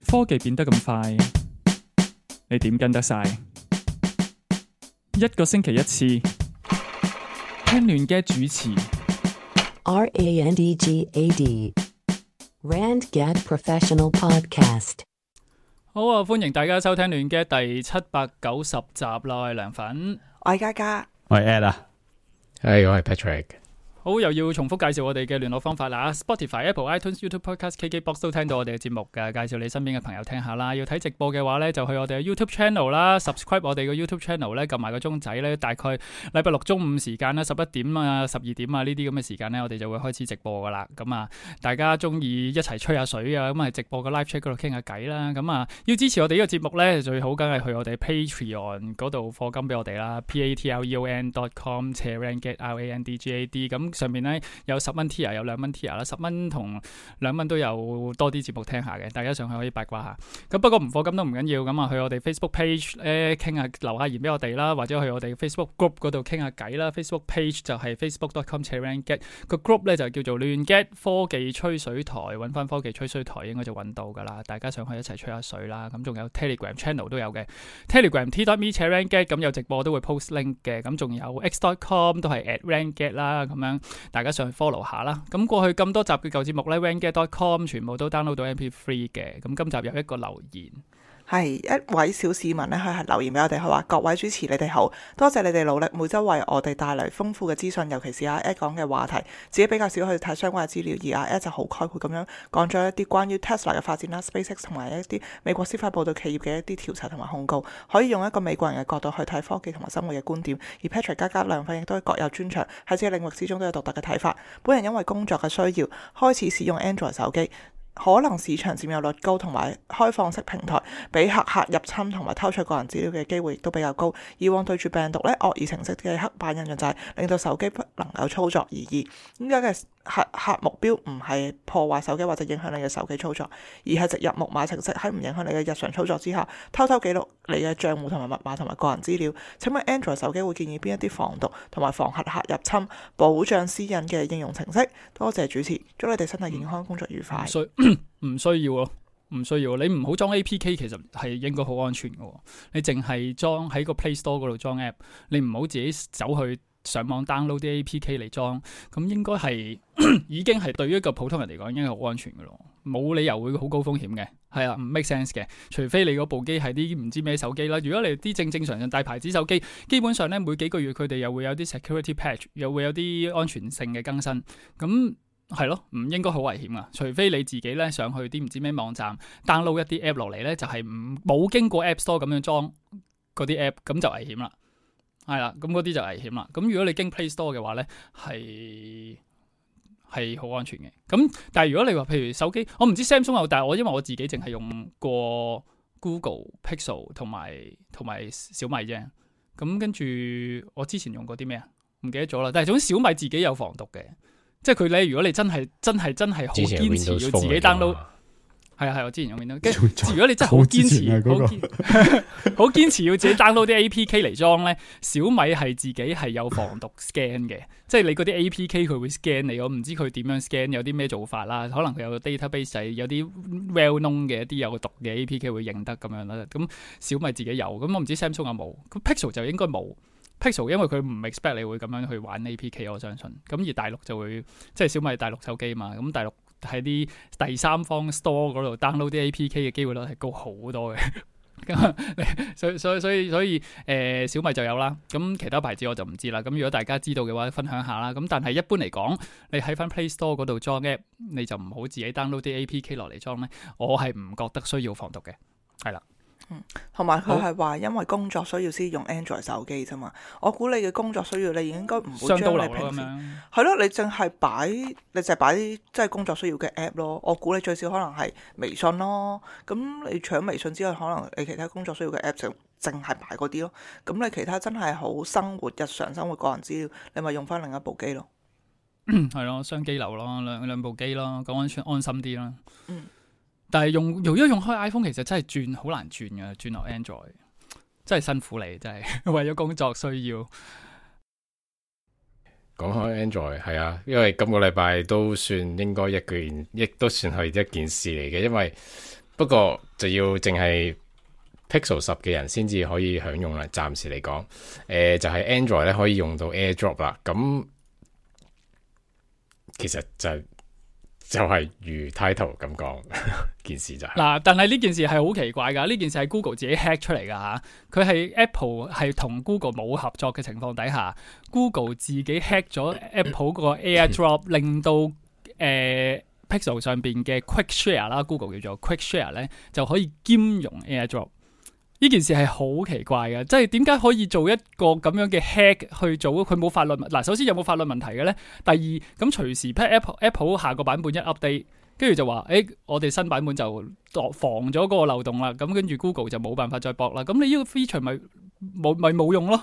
科技變得咁快，你點跟得晒？一個星期一次，聽亂嘅主持。RANDGAD RandGad Professional Podcast。好啊，歡迎大家收聽亂嘅第790集啦，我係涼粉，我係嘉嘉，我係 Ed 啊，我係 Patrick。好，又要重複介紹我哋嘅聯絡方法啦。Spotify、Apple、iTunes、YouTube、Podcast、KKBox 都聽到我哋嘅節目㗎，介紹你身邊嘅朋友聽下啦。要睇直播嘅話呢，就去我哋嘅 YouTube Channel 啦 ，subscribe 我哋嘅 YouTube Channel 呢，撳埋個鐘仔呢，大概禮拜六中午時間啦，11點啊、12點啊呢啲咁嘅時間呢，我哋就會開始直播噶啦。咁啊，大家中意一齊吹下水啊，咁啊直播個 live chat 嗰度傾下偈啦。咁啊，要支持我哋呢個節目呢，最好梗係去我哋 Patreon 嗰度課金俾我哋啦 patreon.com/randgad 咁。上面咧有10蚊 tier 有2蚊 tier 啦，10蚊同2蚊都有多啲節目聽下嘅，大家上去可以八卦下。咁不過唔課金都唔緊要，咁啊去我哋 Facebook page 咧傾下，留下言俾我哋啦，或者去我哋 Facebook group 嗰度傾下偈啦。Facebook page 就係 facebook.com/randgad， 個 group 咧就叫做亂 get 科技吹水台，揾翻科技吹水台應該就揾到噶啦，大家上去一齊吹下水啦。咁仲有 Telegram channel 都有嘅 ，Telegram t.me/randgad 咁有直播都會 post link 嘅，咁仲有 x.com 都係 @randgad 啦，咁樣。大家上去 follow 下啦。咁過去咁多集嘅舊節目咧 randgad.com 全部都 download 到 MP3 嘅。咁今集有一個留言，係一位小市民咧，佢係留言俾我哋，佢話各位主持你哋好，多謝你哋努力，每周為我哋帶嚟豐富嘅資訊，尤其是阿 Ed 講嘅話題，自己比較少去睇相關嘅資料，而阿 Ed 就好概括咁樣講咗一啲關於 Tesla 嘅發展啦、SpaceX 同埋一啲美國司法部對企業嘅一啲調查同埋控告，可以用一個美國人嘅角度去睇科技同埋生活嘅觀點。而 Patrick 嘉嘉兩份亦都各有專長，喺自己領域之中都有獨特嘅睇法。本人因為工作嘅需要，開始使用 Android 手機。可能市場佔有率高，同埋開放式平台，俾黑客入侵同埋偷取個人資料嘅機會亦都比較高。以往對住病毒咧，惡意程式嘅黑板印象就係令到手機不能夠操作而已。點解嘅黑客目標唔係破壞手機或者影響你嘅手機操作，而係植入木馬程式喺唔影響你嘅日常操作之下，偷偷記錄你嘅帳戶同埋密碼同埋個人資料。請問 Android 手機會建議邊一啲防毒同埋防黑客入侵、保障私隱嘅應用程式？多謝主持，祝你哋身體健康，工作愉快。唔需要咯，唔需要。你唔好裝 APK，其實係應該好安全嘅。你淨係裝喺個 Play Store 嗰度裝 app， 你唔好自己走去上網 download 啲 APK 嚟裝，咁應該係已經係對於一個普通人嚟講，應該好安全嘅咯。冇理由會好高風險嘅，係啊，唔 make sense 嘅。除非你嗰部機係啲唔知咩手機啦。如果你啲正常大牌子手機，基本上咧每幾個月佢哋又會有啲 security patch， 又會有啲安全性嘅更新，咁。係咯，唔應該好危險啊！除非你自己咧上去啲唔知咩網站 download 一啲 app 落嚟咧，就係冇經過 App Store 咁樣裝嗰啲 app， 咁就危險啦。係啦，咁嗰啲就危險啦。咁如果你經 Play Store 嘅話咧，係好安全嘅。咁但係如果你話譬如手機，我唔知 Samsung 有，但係因為我自己淨係用過 Google Pixel 同埋小米啫。咁跟住我之前用過啲咩啊？唔記得咗啦。但係總之小米自己有防毒嘅。即係佢咧，如果你真係好堅持要自己 download， 係我之前用 Windows。如果你真係好堅持，好堅持要自己 download 啲 APK 嚟裝咧，小米係自己係有防毒 scan 嘅，即係你嗰啲 APK 佢會 scan 你，我唔知佢點樣 scan， 有啲咩做法啦，可能佢有個 database 有啲 well known 嘅一啲有毒嘅 APK 會認得咁樣啦。咁小米自己有，咁我唔知 Samsung 有冇，咁 Pixel 就應該冇。Pixel 因為佢唔 expect 你會咁樣去玩 APK， 我相信。咁而大陸就會即係小米大陸手機嘛，咁大陸喺啲第三方 store 嗰度 download 啲 APK 嘅機會率係高好多嘅。所以小米就有啦。咁其他牌子我就唔知啦。咁如果大家知道嘅話，分享下啦。咁但係一般嚟講，你喺翻 Play Store 嗰度裝 app， 你就唔好自己 download 啲 APK 落嚟裝咧。我係唔覺得需要防毒嘅，係啦。同埋佢係話因為工作需要先用 Android 手機啫嘛，我估你嘅工作需要，你應該唔會將你平時係咯，你淨係擺啲即係工作需要嘅 app 咯。我估你最少可能係微信咯，咁你除咗微信之外，可能你其他工作需要嘅 app 就淨係擺嗰啲咯。咁你其他真係好生活日常生活個人資料，你咪用翻另一部機咯。係咯，雙機流咯，兩部機咯，咁安心啲啦。但係用開 iPhone 其實真係轉好難轉嘅，轉落 Android 真係辛苦你，真係為咗工作需要。講開 Android 係啊，因為今個禮拜都算應該亦都算係一件事嚟嘅，因為不過就要淨係 Pixel 10嘅人先至可以享用啦。暫時嚟講，就係 Android 咧可以用到 AirDrop 啦。咁其實就係如 title 咁講，件事就係嗱，但係呢件事係好奇怪㗎，呢件事係 Google 自己 hack 出嚟㗎嚇，佢係 Apple 係同 Google 冇合作嘅情況底下，Google 自己 hack 咗 Apple 個 AirDrop，令到Pixel 上邊嘅 Quick Share 啦，Google 叫做 Quick Share 咧就可以兼容 AirDrop。呢件事係好奇怪嘅，即係點解可以做一個咁樣嘅 hack 去做？佢冇法律嗱，首先有冇法律問題嘅咧？第二，咁隨時 Apple 下個版本一 update， 跟住就話，我哋新版本就防咗嗰個漏洞啦。咁跟住 Google 就冇辦法再駁啦。咁你呢個 feature 咪冇用咯？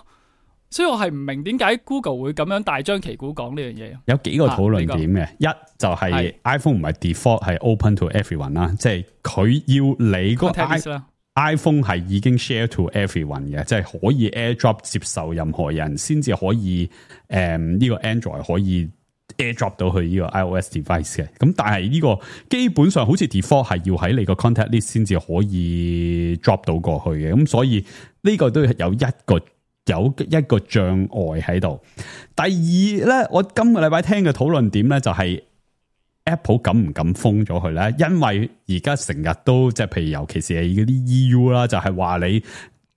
所以我係唔明點解 Google 會咁樣大張旗鼓講呢樣嘢。有幾個討論點嘅，一就係 iPhone 唔係 default 係 open to everyone 啦，即係佢要你個 iPhone 係已經 share to everyone 嘅，即係可以 AirDrop 接受任何人先至可以呢個 Android 可以 AirDrop 到去呢個 iOS device 嘅。咁但係呢個基本上好似 default 係要喺你個 contact list 先至可以 drop 到過去嘅。咁所以呢個都有一個障礙喺度。第二咧，我今個禮拜聽嘅討論點咧就係Apple 敢唔敢封咗佢咧？因為而家成日都即係，譬如尤其是係嗰啲 EU 啦，就係話你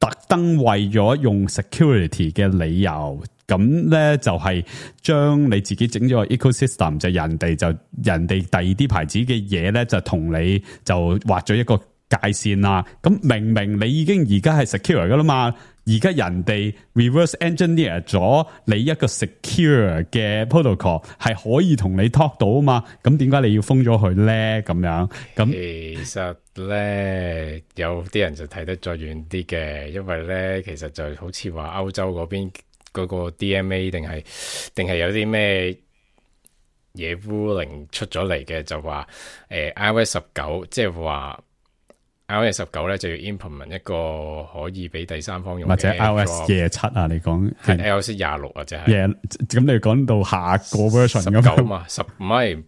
特登為咗用 security 嘅理由，咁咧就係將你自己整咗個 ecosystem，就人哋第二啲牌子嘅嘢咧，就同你就畫咗一個界線啦。咁明明你已經而家係 secure 噶啦嘛。而家人哋 reverse engineer 咗你一個 secure 嘅 protocol 係可以同你 talk 到啊嘛，咁點解你要封咗佢咧？咁樣咁其實咧有啲人就睇得再遠啲嘅，因為咧其實就好似話歐洲嗰邊嗰個 DMA 定係有啲咩嘢 ruling 出咗嚟嘅，就話iOS 19即係話。iOS 19咧就要 implement 一個可以俾第三方用嘅，或者 iOS 27啊，你講係 iOS 26啊，即係咁你講到下個 version 19嘛，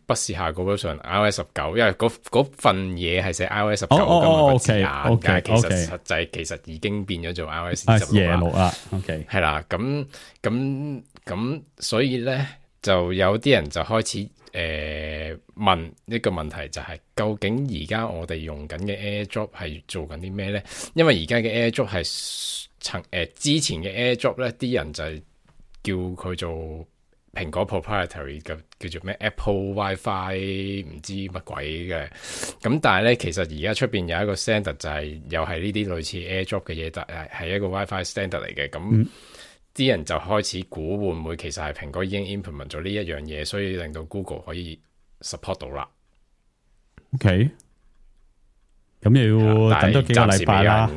不是下個 version，iOS 19，因為嗰份嘢係寫 iOS 19咁個字眼，但係其實實際其實已經變咗做 iOS 26啦。OK， 係啦，咁所以咧就有啲人就開始。問一個問題就係究竟而家我哋用緊嘅 AirDrop 係做緊啲咩咧？因為而家嘅 AirDrop 係之前嘅 AirDrop 咧，啲人就係叫佢做蘋果 proprietary 嘅，叫做咩 Apple WiFi 唔知乜鬼嘅。咁但係咧，其實而家出邊有一個 standard 就係又係呢啲類似 AirDrop 嘅嘢，但係一個 WiFi standard 嚟嘅。咁啲人就開始估會唔會其實係蘋果已經 implement 咗呢一樣嘢，所以令到 Google 可以 support 到啦。OK， 咁要等多幾個禮拜啦。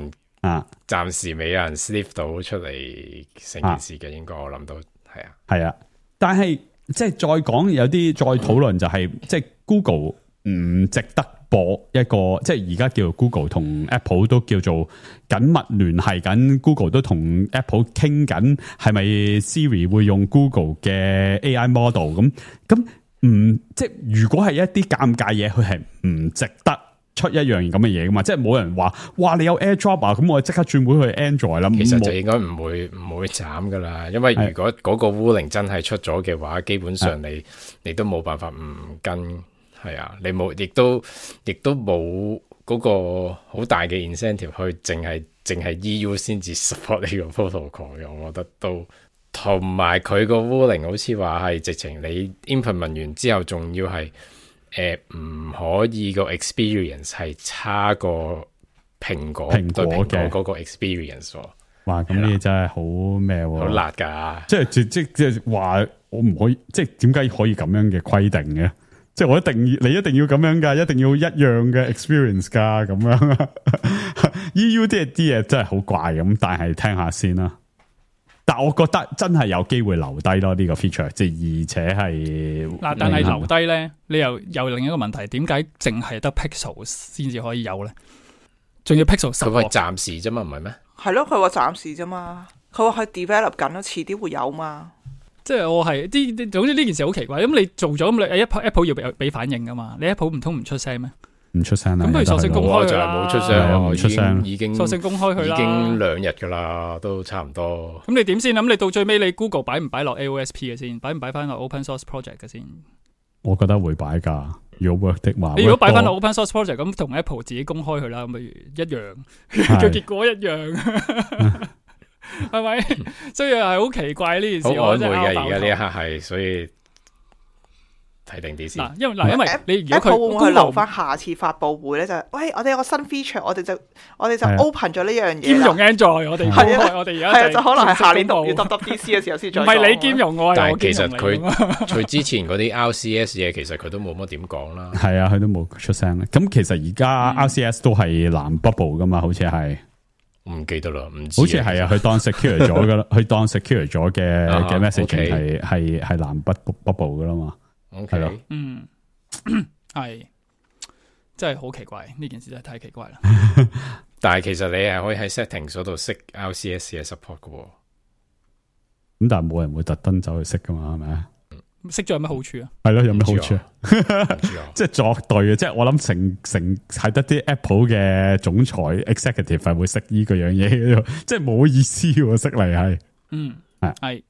暫時未有人 sniff 到出嚟成件事嘅，應該我諗到係啊。但係即係再講有啲再討論就係即係 Google 唔值得播一個，即係而家叫做 Google 同 Apple 都叫做緊密聯繫緊 ，Google 都同 Apple 傾緊，係咪 Siri 會用 Google 嘅 AI model 咁即係如果係一啲尷尬嘢，佢係唔值得出一樣咁嘅嘢噶嘛？即係冇人話，哇！你有 AirDrop 啊，咁我即刻轉會去 Android 啦。其實就應該唔會斬噶啦，因為如果嗰個 ruling 真係出咗嘅話，基本上你都冇辦法唔跟。係啊，你冇，亦都冇嗰個好大嘅 incentive 去淨係 EU 先至 support 呢個 protocol 嘅，我覺得都同埋佢個 ruling 好似話係直情你 implement 完之後，仲要係唔可以個 experience 係差過蘋果嘅嗰個 experience 喎。哇！咁呢啲真係好咩喎？好辣㗎！即係話我唔可以，即係點解可以咁樣嘅規定嘅？即係你一定要咁樣噶，一定要一樣嘅 experience 噶，咁樣。EU 啲嘢真係好怪咁，但係聽下先啦。但我覺得真係有機會留低咯呢個 feature，即係而且係嗱，但係留低咧，你又另一個問題，點解淨係得 Pixel 先至可以有咧？仲要 Pixel 10？佢話暫時啫嘛，唔係咩？係咯，佢話暫時啫嘛，佢話佢 develop 緊咯，遲啲會有嘛。即係我係總之呢件事好奇怪，咁你做咗咁你 Apple 要俾反應噶嘛？你 Apple 唔通唔出聲咩？唔出聲啦。咁不如索性公開我就係冇出聲，唔出聲，已經索性公開佢啦，已經2日噶啦，都差唔多。咁你點先？咁你到最尾你 Google 擺唔擺落 AOSP 嘅先？擺唔擺翻落 Open Source Project 嘅先？我覺得會擺㗎。如果 work 的話，你如果擺翻落 Open Source Project，咁同 Apple 自己公開佢啦，咁不如一樣，個結果一樣，係咪？所以係好奇怪呢件事。好曖昧嘅，而家呢一刻係，所以睇定啲先。因為你如果 Apple 會唔會留 Google 翻下次發佈會咧？就係喂，我哋有個新 feature，我哋就 open 咗呢樣嘢，兼容 Android，我哋我哋而家就可能係下年6月 WWDC 嘅時候先再。唔係你兼容我，但係其實佢之前嗰啲 RCS 嘢，其實佢都冇乜點講啦。係啊，佢都冇出聲。咁其實而家 RCS 都係藍 bubble 噶嘛，好似係。唔記得啦，唔知。好似係啊，佢當 secure 咗噶啦，佢當 secure 咗嘅 messaging 係藍 bubble 噶啦嘛。係咯，係，真係好奇怪，呢件事真係太奇怪啦。但係其實你係可以喺 settings 嗰度熄 RCS 嘅 support 噶。咁但係冇人會特登走去熄噶嘛，係咪啊？熄咗有咩好處啊？係咯，有咩好處啊？即係作對嘅，即係我諗成係得啲 Apple 嘅總裁 executive 係會識呢個樣嘢，即係冇意思喎，識嚟係。係，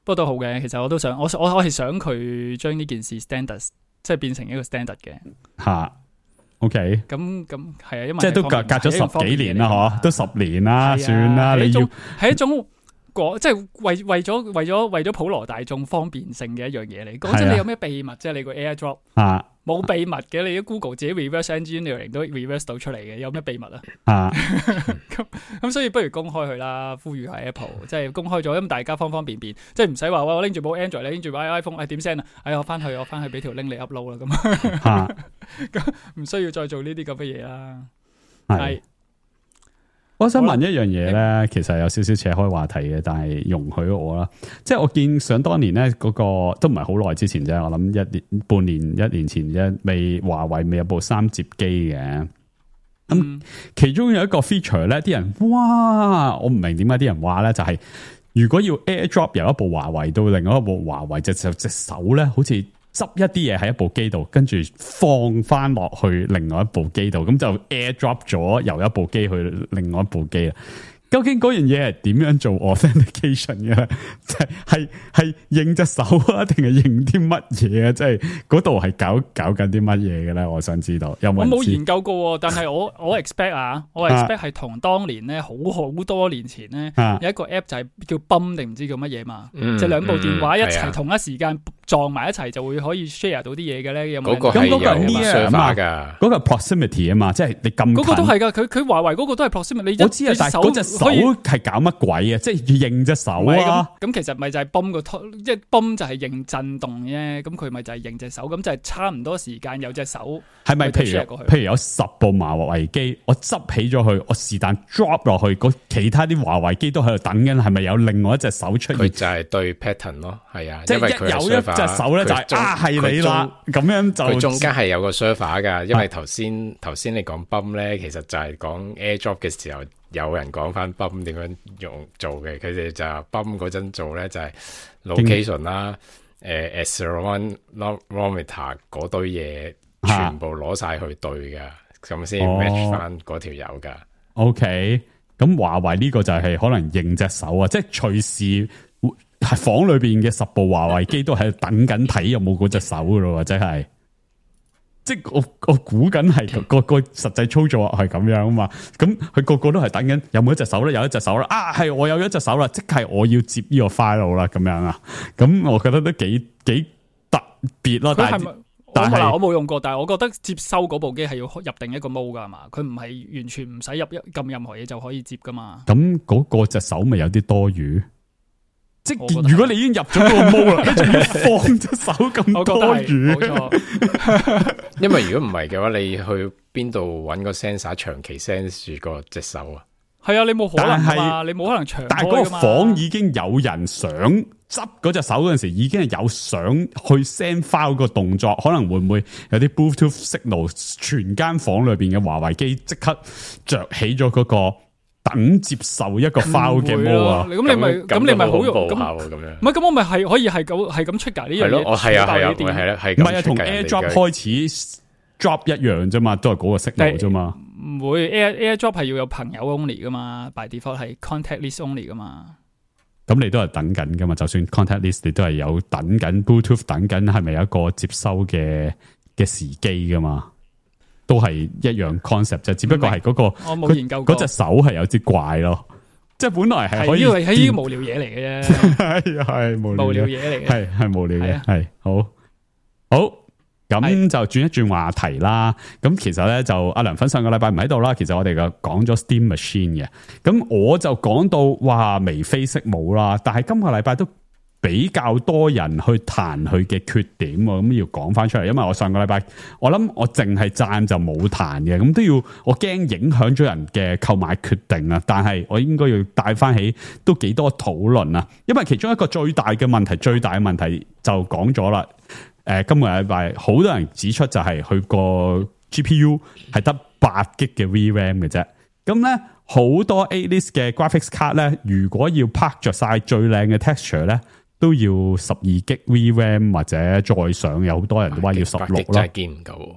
不過都好嘅。其實我都想，我係想佢將呢件事 standard， 即係變成一個 standard 嘅。吓 ，OK。咁係啊，因為即係都隔咗10幾年啦，嗬，都10年啦，算啦。你要係一種。即係為咗普羅大眾方便性嘅一樣嘢嚟。講真，你有咩秘密啫？你個 AirDrop 冇秘密嘅，你啲 Google 自己 reverse engineering 都 reverse 到出嚟嘅，有咩秘密啊？咁所以不如公開佢啦，呼籲下 Apple， 即係公開咗，咁大家方便，即係唔使話我拎住部 Android， 你拎住部 iPhone， 點 send 啊？我翻去俾條 link 你 upload 啦，咁唔需要再做呢啲咁嘅嘢啦。係。我想問一樣嘢咧，其實有少少扯開話題嘅，但係容許我啦。即係我見想當年咧，嗰個都唔係好耐之前啫，我諗半年、1年前啫，華為未有部3摺機嘅。咁其中有一個 feature 咧，啲人哇，我唔明點解啲人話咧，就係如果要 AirDrop 由一部華為到另外一部華為，隻手咧，好似執一啲嘢喺一部機度，跟住放翻落去另外一部機度，咁就 AirDrop 咗由一部機去另外一部機啦。究竟嗰樣嘢係點樣做 authentication 嘅咧？係認隻手啊，定係認啲乜嘢啊？即係嗰度係搞緊啲乜嘢嘅咧？我想知道。有冇人知？我冇研究過，但係我 expect 我 expect 係同當年咧好多年前咧有一個 app 就係叫 Bum 定唔知叫乜嘢嘛，即係兩部電話一齊同一時間撞埋一齊就會可以 share 到啲嘢嘅咧。有冇？咁嗰個係 server 噶，嗰個 proximity 啊嘛，即係你咁近。嗰個都係噶，佢華為嗰個都係 proximity。我知啊，但係嗰隻手係搞乜鬼啊？即係認隻手啊？咁其實咪就係 Bum 即係 Bum 就係認震動啫。咁佢咪就係認隻手，咁就係差唔多時間有隻手。係咪譬如有10部華為機，我執起咗佢，我是但 drop 落去，其他啲華為機都喺度等緊，係咪有另外一隻手出現？佢就係對 pattern 咯，係啊，即係有一隻手咧就係係你啦，咁樣就佢中間係有個 server 噶，因為頭先你講 Bum 咧，其實就係講 AirDrop 嘅時候。有人講翻 Bum 點樣做嘅，佢哋就 Bum 嗰陣做咧就係 location 啦，accelerometer 嗰堆嘢全部攞晒去對噶，咁先 match 翻嗰條友噶。OK，咁華為呢個就係可能認隻手啊，即係隨時係房裏邊嘅10部華為機都喺度等緊睇有冇嗰隻手噶咯，或者係。即係我估緊係個實際操作係咁樣啊嘛，咁佢個都係等緊有冇一隻手咧，有一隻手啦，係我有一隻手啦，即係我要接呢個 file 啦，咁樣啊，咁我覺得都幾特別咯。但係我冇用過，但係我覺得接收嗰部機係要入定一個 mode 噶嘛，佢唔係完全唔使撳任何嘢就可以接噶嘛。咁嗰個隻手咪有啲多餘？即係如果你已經入咗個毛啦，你仲要放隻手咁多餘？冇錯。因為如果唔係嘅話，你去邊度揾個 sensor 長期 sense 住個隻手啊？係啊，你冇可能嘛，你冇可能長開噶嘛。但係嗰個房已經有人想執嗰隻手嗰陣時，已經係有想去 send file 個動作，可能會唔會有啲 Bluetooth signal， 全間房裏邊嘅華為機即刻着起咗嗰個。等接受一個 file 嘅 mode 啊，咁你咪好用咁樣，唔係咁我咪係可以係咁出㗎呢樣嘢，係啊，係啦，係唔係啊，同 AirDrop 開始 AirDrop 一樣啫嘛，都係嗰個 signal 啫嘛。唔會 AirDrop 係要有朋友 only 噶嘛 ，by default 係 contact list only 噶嘛。咁你都係等緊噶嘛？就算 contact list 你都係有等緊 Bluetooth 等緊，係咪有一個接收嘅時機噶嘛？都係一樣 concept 啫，只不過係嗰個我冇研究過嗰隻手係有啲怪咯。即係本來係可以係呢個無聊嘢嚟嘅啫，係無聊嘢嚟嘅，係無聊嘅，係好。咁就轉一轉話題啦。咁其實咧就阿涼粉上個禮拜唔喺度啦。其實我哋就講咗 Steam Machine 嘅。咁我就講到哇眉飛色舞啦。但係今個禮拜都比較多人去彈佢嘅缺點，咁要講翻出嚟。因為我上個禮拜我諗我淨係讚就冇彈嘅，咁都要我驚影響咗人嘅購買決定啊。但係我應該要帶翻起都幾多討論啊。因為其中一個最大嘅問題就講咗啦。今個禮拜好多人指出就係佢個 GPU 係得8GB 嘅 VRAM 嘅啫。咁咧好多 A-list 嘅 graphics card 咧，如果要拍着晒最靚嘅 texture 咧，都要12GB VRAM 或者再上。有好多人都話要16咯。真係堅唔夠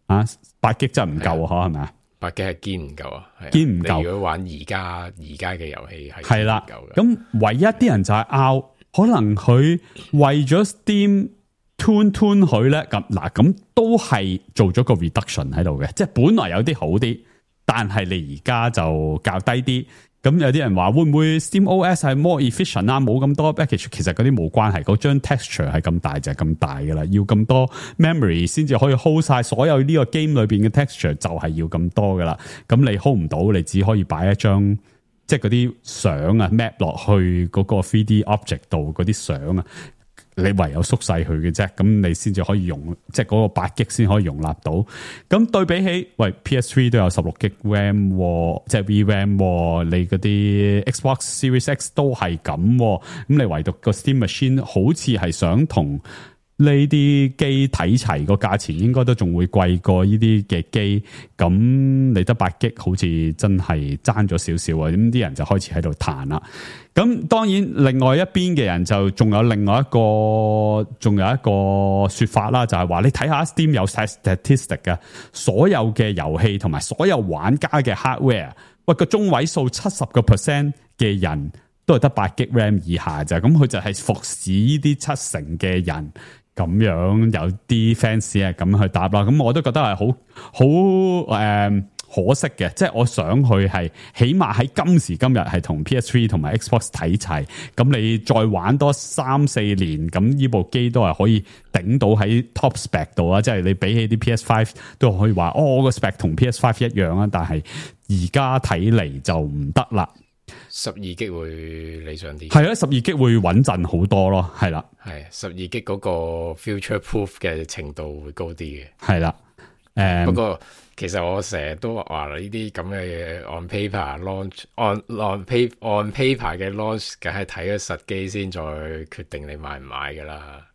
啊！8GB 真係唔夠啊，係咪啊？8GB係堅唔夠啊，堅唔夠。如果玩而家嘅遊戲係啦，夠嘅。咁唯一啲人就係拗，可能佢為咗 Steam tune 佢咧，咁都係做咗個 reduction 喺度嘅，即係本來有啲好啲，但係你而家就較低啲。咁有啲人話會唔會 Steam OS 係 more efficient 啊？冇咁多 package，其實嗰啲冇關係，嗰張 texture 係咁大就係咁大噶啦，要咁多 memory 先至可以 hold 晒所有呢個 game 裏邊嘅 texture，就係要咁多噶啦。咁你 hold 唔到，你只可以擺一張即係嗰啲相啊 map 落去嗰個 3D object 度嗰啲相啊。你唯有縮細佢嘅啫，咁你先至可以用，即係嗰個8GB先可以容納到。咁對比起，喂 PS3 都有16GB RAM，即係 VRAM，你嗰啲 Xbox Series X 都係咁，咁你唯獨個 Steam Machine 好似係想同呢啲機睇齊，個價錢應該都仲會貴過呢啲嘅機，咁你得8GB好似真係爭咗少少啊！咁啲人就開始喺度彈啦。咁當然另外一邊嘅人就仲有另外一個說法啦，就係話你睇下 Steam 有晒 statistic 嘅，所有嘅遊戲同埋所有玩家嘅 hardware， 喂個中位數70% 嘅人都係得8GB RAM 以下咋，咁佢就係服侍呢啲70%嘅人。咁樣有啲 fans 係咁去答啦，咁我都覺得係好可惜嘅，即係我想佢係起碼喺今時今日係同 PS3 同埋 Xbox 睇齊，咁你再玩多3-4年，咁呢部機都係可以頂到喺 top spec 度啊！即係你比起啲 PS5 都可以話，我個 spec 同 PS5 一樣啊，但係而家睇嚟就唔得啦。12GB會理想啲，係啊，12GB會穩陣好多咯，係啦，係12GB嗰個 future proof 嘅程度會高啲嘅，係啦，不過其實我成日都話呢啲咁嘅 on paper launch on paper 嘅 launch， 梗係睇咗實機先再決定你買唔買噶啦。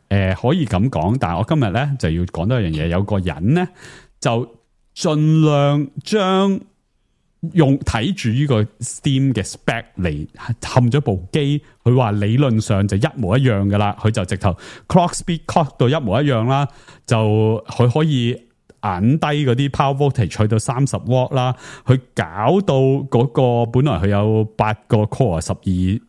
可以咁講，但係我今日咧就要講多一樣嘢，有個人咧就盡量將用睇住呢個 Steam 嘅 spec 嚟冚咗部機，佢話理論上就一模一樣噶啦，佢就直頭 clock speed clock 到一模一樣啦，就佢可以揞低嗰啲 power voltage 去到30W 啦，佢搞到嗰個本來佢有8個 core 16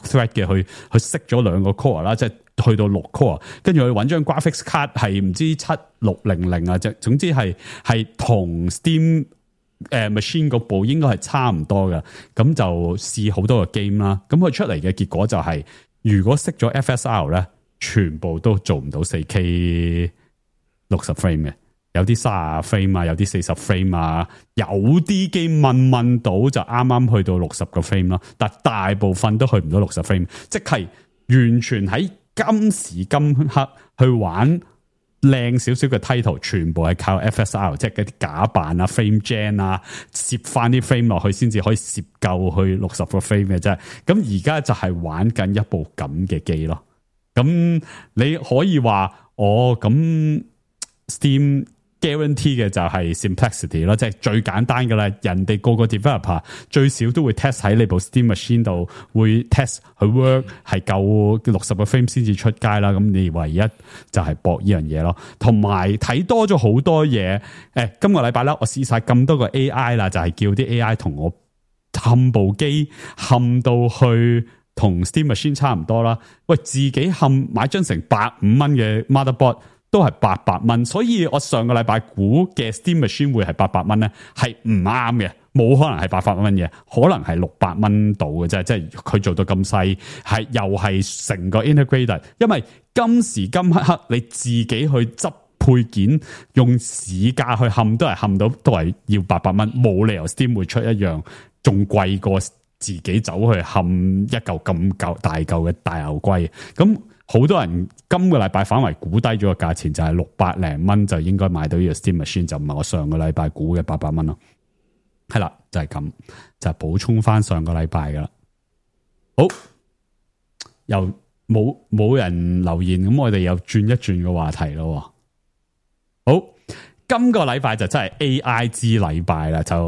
thread 嘅，佢熄咗2個 core 啦，即係去到6 core， 跟住佢揾張 graphics card 係唔知7600啊，即係總之係同 Steam machine 嗰部應該係差唔多嘅，咁就試好多個 game 啦。咁佢出嚟嘅結果就係，如果熄咗 FSR 咧，全部都做唔到 4K 60 frame 嘅，有啲30 frame 啊，有啲40 frame 啊，有啲機問到就啱啱去到60個 frame 咯，但大部分都去唔到60 frame， 即係完全喺今時今刻去玩靚少少嘅 title， 全部係靠 FSR， 即係嗰啲假扮啊 frame gen 啊，攝翻啲 frame 落去先至可以攝夠去60個 frame 嘅啫。咁而家就係玩緊一部咁嘅機咯。咁你可以話咁 Steam guarantee 嘅就係 simplicity 咯，即係最簡單噶啦。人哋個 developer 最少都會 test 喺你部 Steam Machine 度，會 test 佢 work 係夠60個 frame 先至出街啦。咁你唯一就係搏呢樣嘢咯。同埋睇多咗好多嘢。今個禮拜啦，我試晒咁多個 AI 啦，就係叫啲 AI 同我冚部機冚到去同 Steam Machine 差唔多啦。喂，自己冚買張成150蚊嘅 motherboard。都係800蚊，所以我上個禮拜估嘅 Steam Machine 會係800蚊咧，係唔啱嘅，冇可能係800蚊嘅，可能係600蚊到嘅啫，即係佢做到咁細，係又係成個 integrated， 因為今時今刻你自己去執配件用市價去冚都係冚到，都係要800蚊，冇理由 Steam 會出一樣仲貴過自己走去冚一嚿咁大嚿嘅大牛龜，咁。好多人今個禮拜反為估低咗個價錢，就係600零蚊就應該買到呢個 Steam Machine， 就唔係我上個禮拜估嘅800蚊咯。係啦，就係咁，就係補充翻上個禮拜噶啦。好，又冇人留言，咁我哋又轉一轉個話題咯。好，今個禮拜就真係 AI 之禮拜啦，就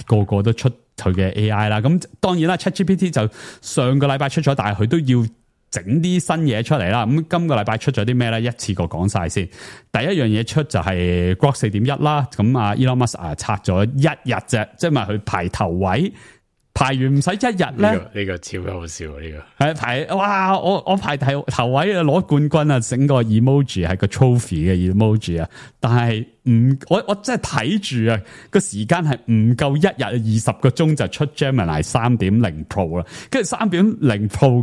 個個都出佢嘅 AI 啦。咁當然啦 ，ChatGPT 就上個禮拜出咗，但係佢都要整啲新嘢出嚟啦，咁今個禮拜出咗啲咩咧？一次過講晒先。第一樣嘢出就係 Grok 4.1啦，咁啊 Elon Musk 拆咗一日啫，即係咪佢排頭位，排完唔使一日咧？呢個超好笑啊！呢個係排哇，我排頭位啊，攞冠軍啊，整個 emoji 係個 trophy 嘅 emoji 啊，但係我真係睇住啊，個時間係唔夠一日20個鐘就出 Gemini 3.0 Pro 啦，跟住3.0 Pro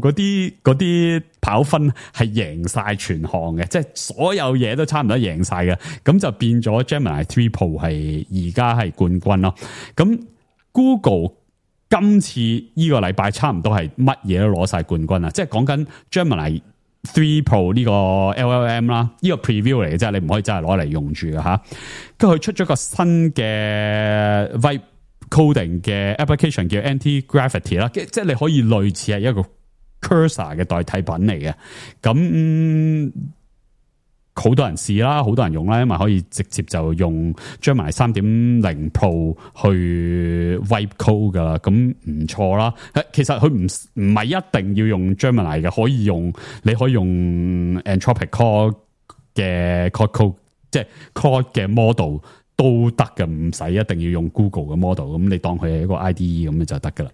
嗰啲跑分係贏晒全項嘅，即係所有嘢都差唔多贏晒嘅，咁就變咗 Gemini 3 Pro 係而家係冠軍咯。咁 Google 今次呢個禮拜差唔多係乜嘢都攞晒冠軍啊！即係講緊 Gemini 3 Pro 呢個 LLM 啦，呢個 preview 嚟嘅啫，你唔可以真係攞嚟用住嘅吓。跟住佢出咗個新嘅 Vibe Coding 嘅 application 叫 Anti-Gravity 啦，即係你可以類似係一個 cursor 嘅代替品嚟嘅。咁好多人試啦，好多人用啦，因為可以直接就用 Gemini 3.0 Pro 去 Vibe Code 噶啦，咁唔錯啦。其實佢唔係一定要用 Gemini 嘅，你可以用 Anthropic Claude 嘅 Code， 即係 Claude 嘅 model 都得嘅，唔使一定要用 Google 嘅 model， 咁你當佢係一個 IDE 咁就得噶啦。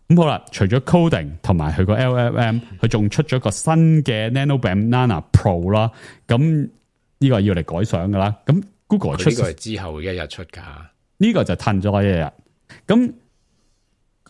咁好啦，除咗 coding 同埋佢個 LLM， 佢仲出咗個新嘅 Nano Banana Pro 啦。咁呢個要嚟改相噶啦。咁 Google 出呢個係之後一日出噶，呢個就褪咗一日。咁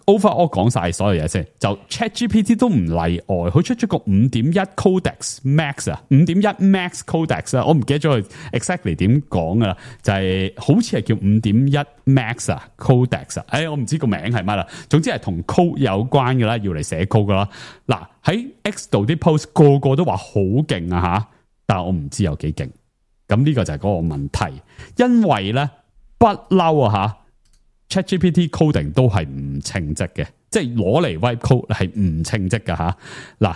overall 講晒所有嘢先，就 ChatGPT 都唔例外，佢出咗個 5.1 Codex Max 啊，5.1 Max Codex 啊，我唔記得咗佢 exactly 點講噶啦，就係好似係叫 5.1 Max 啊 Codex 啊，我唔知個名係乜啦，總之係同 code 有關噶啦，要嚟寫 code 噶啦。嗱喺 X 度啲 post 個個都話好勁啊吓，但係我唔知有幾勁。咁呢個就係嗰個問題，因為咧不嬲啊吓。ChatGPT coding 都係唔稱職嘅，即係攞嚟 Vibe Code 係唔稱職㗎吓。嗱，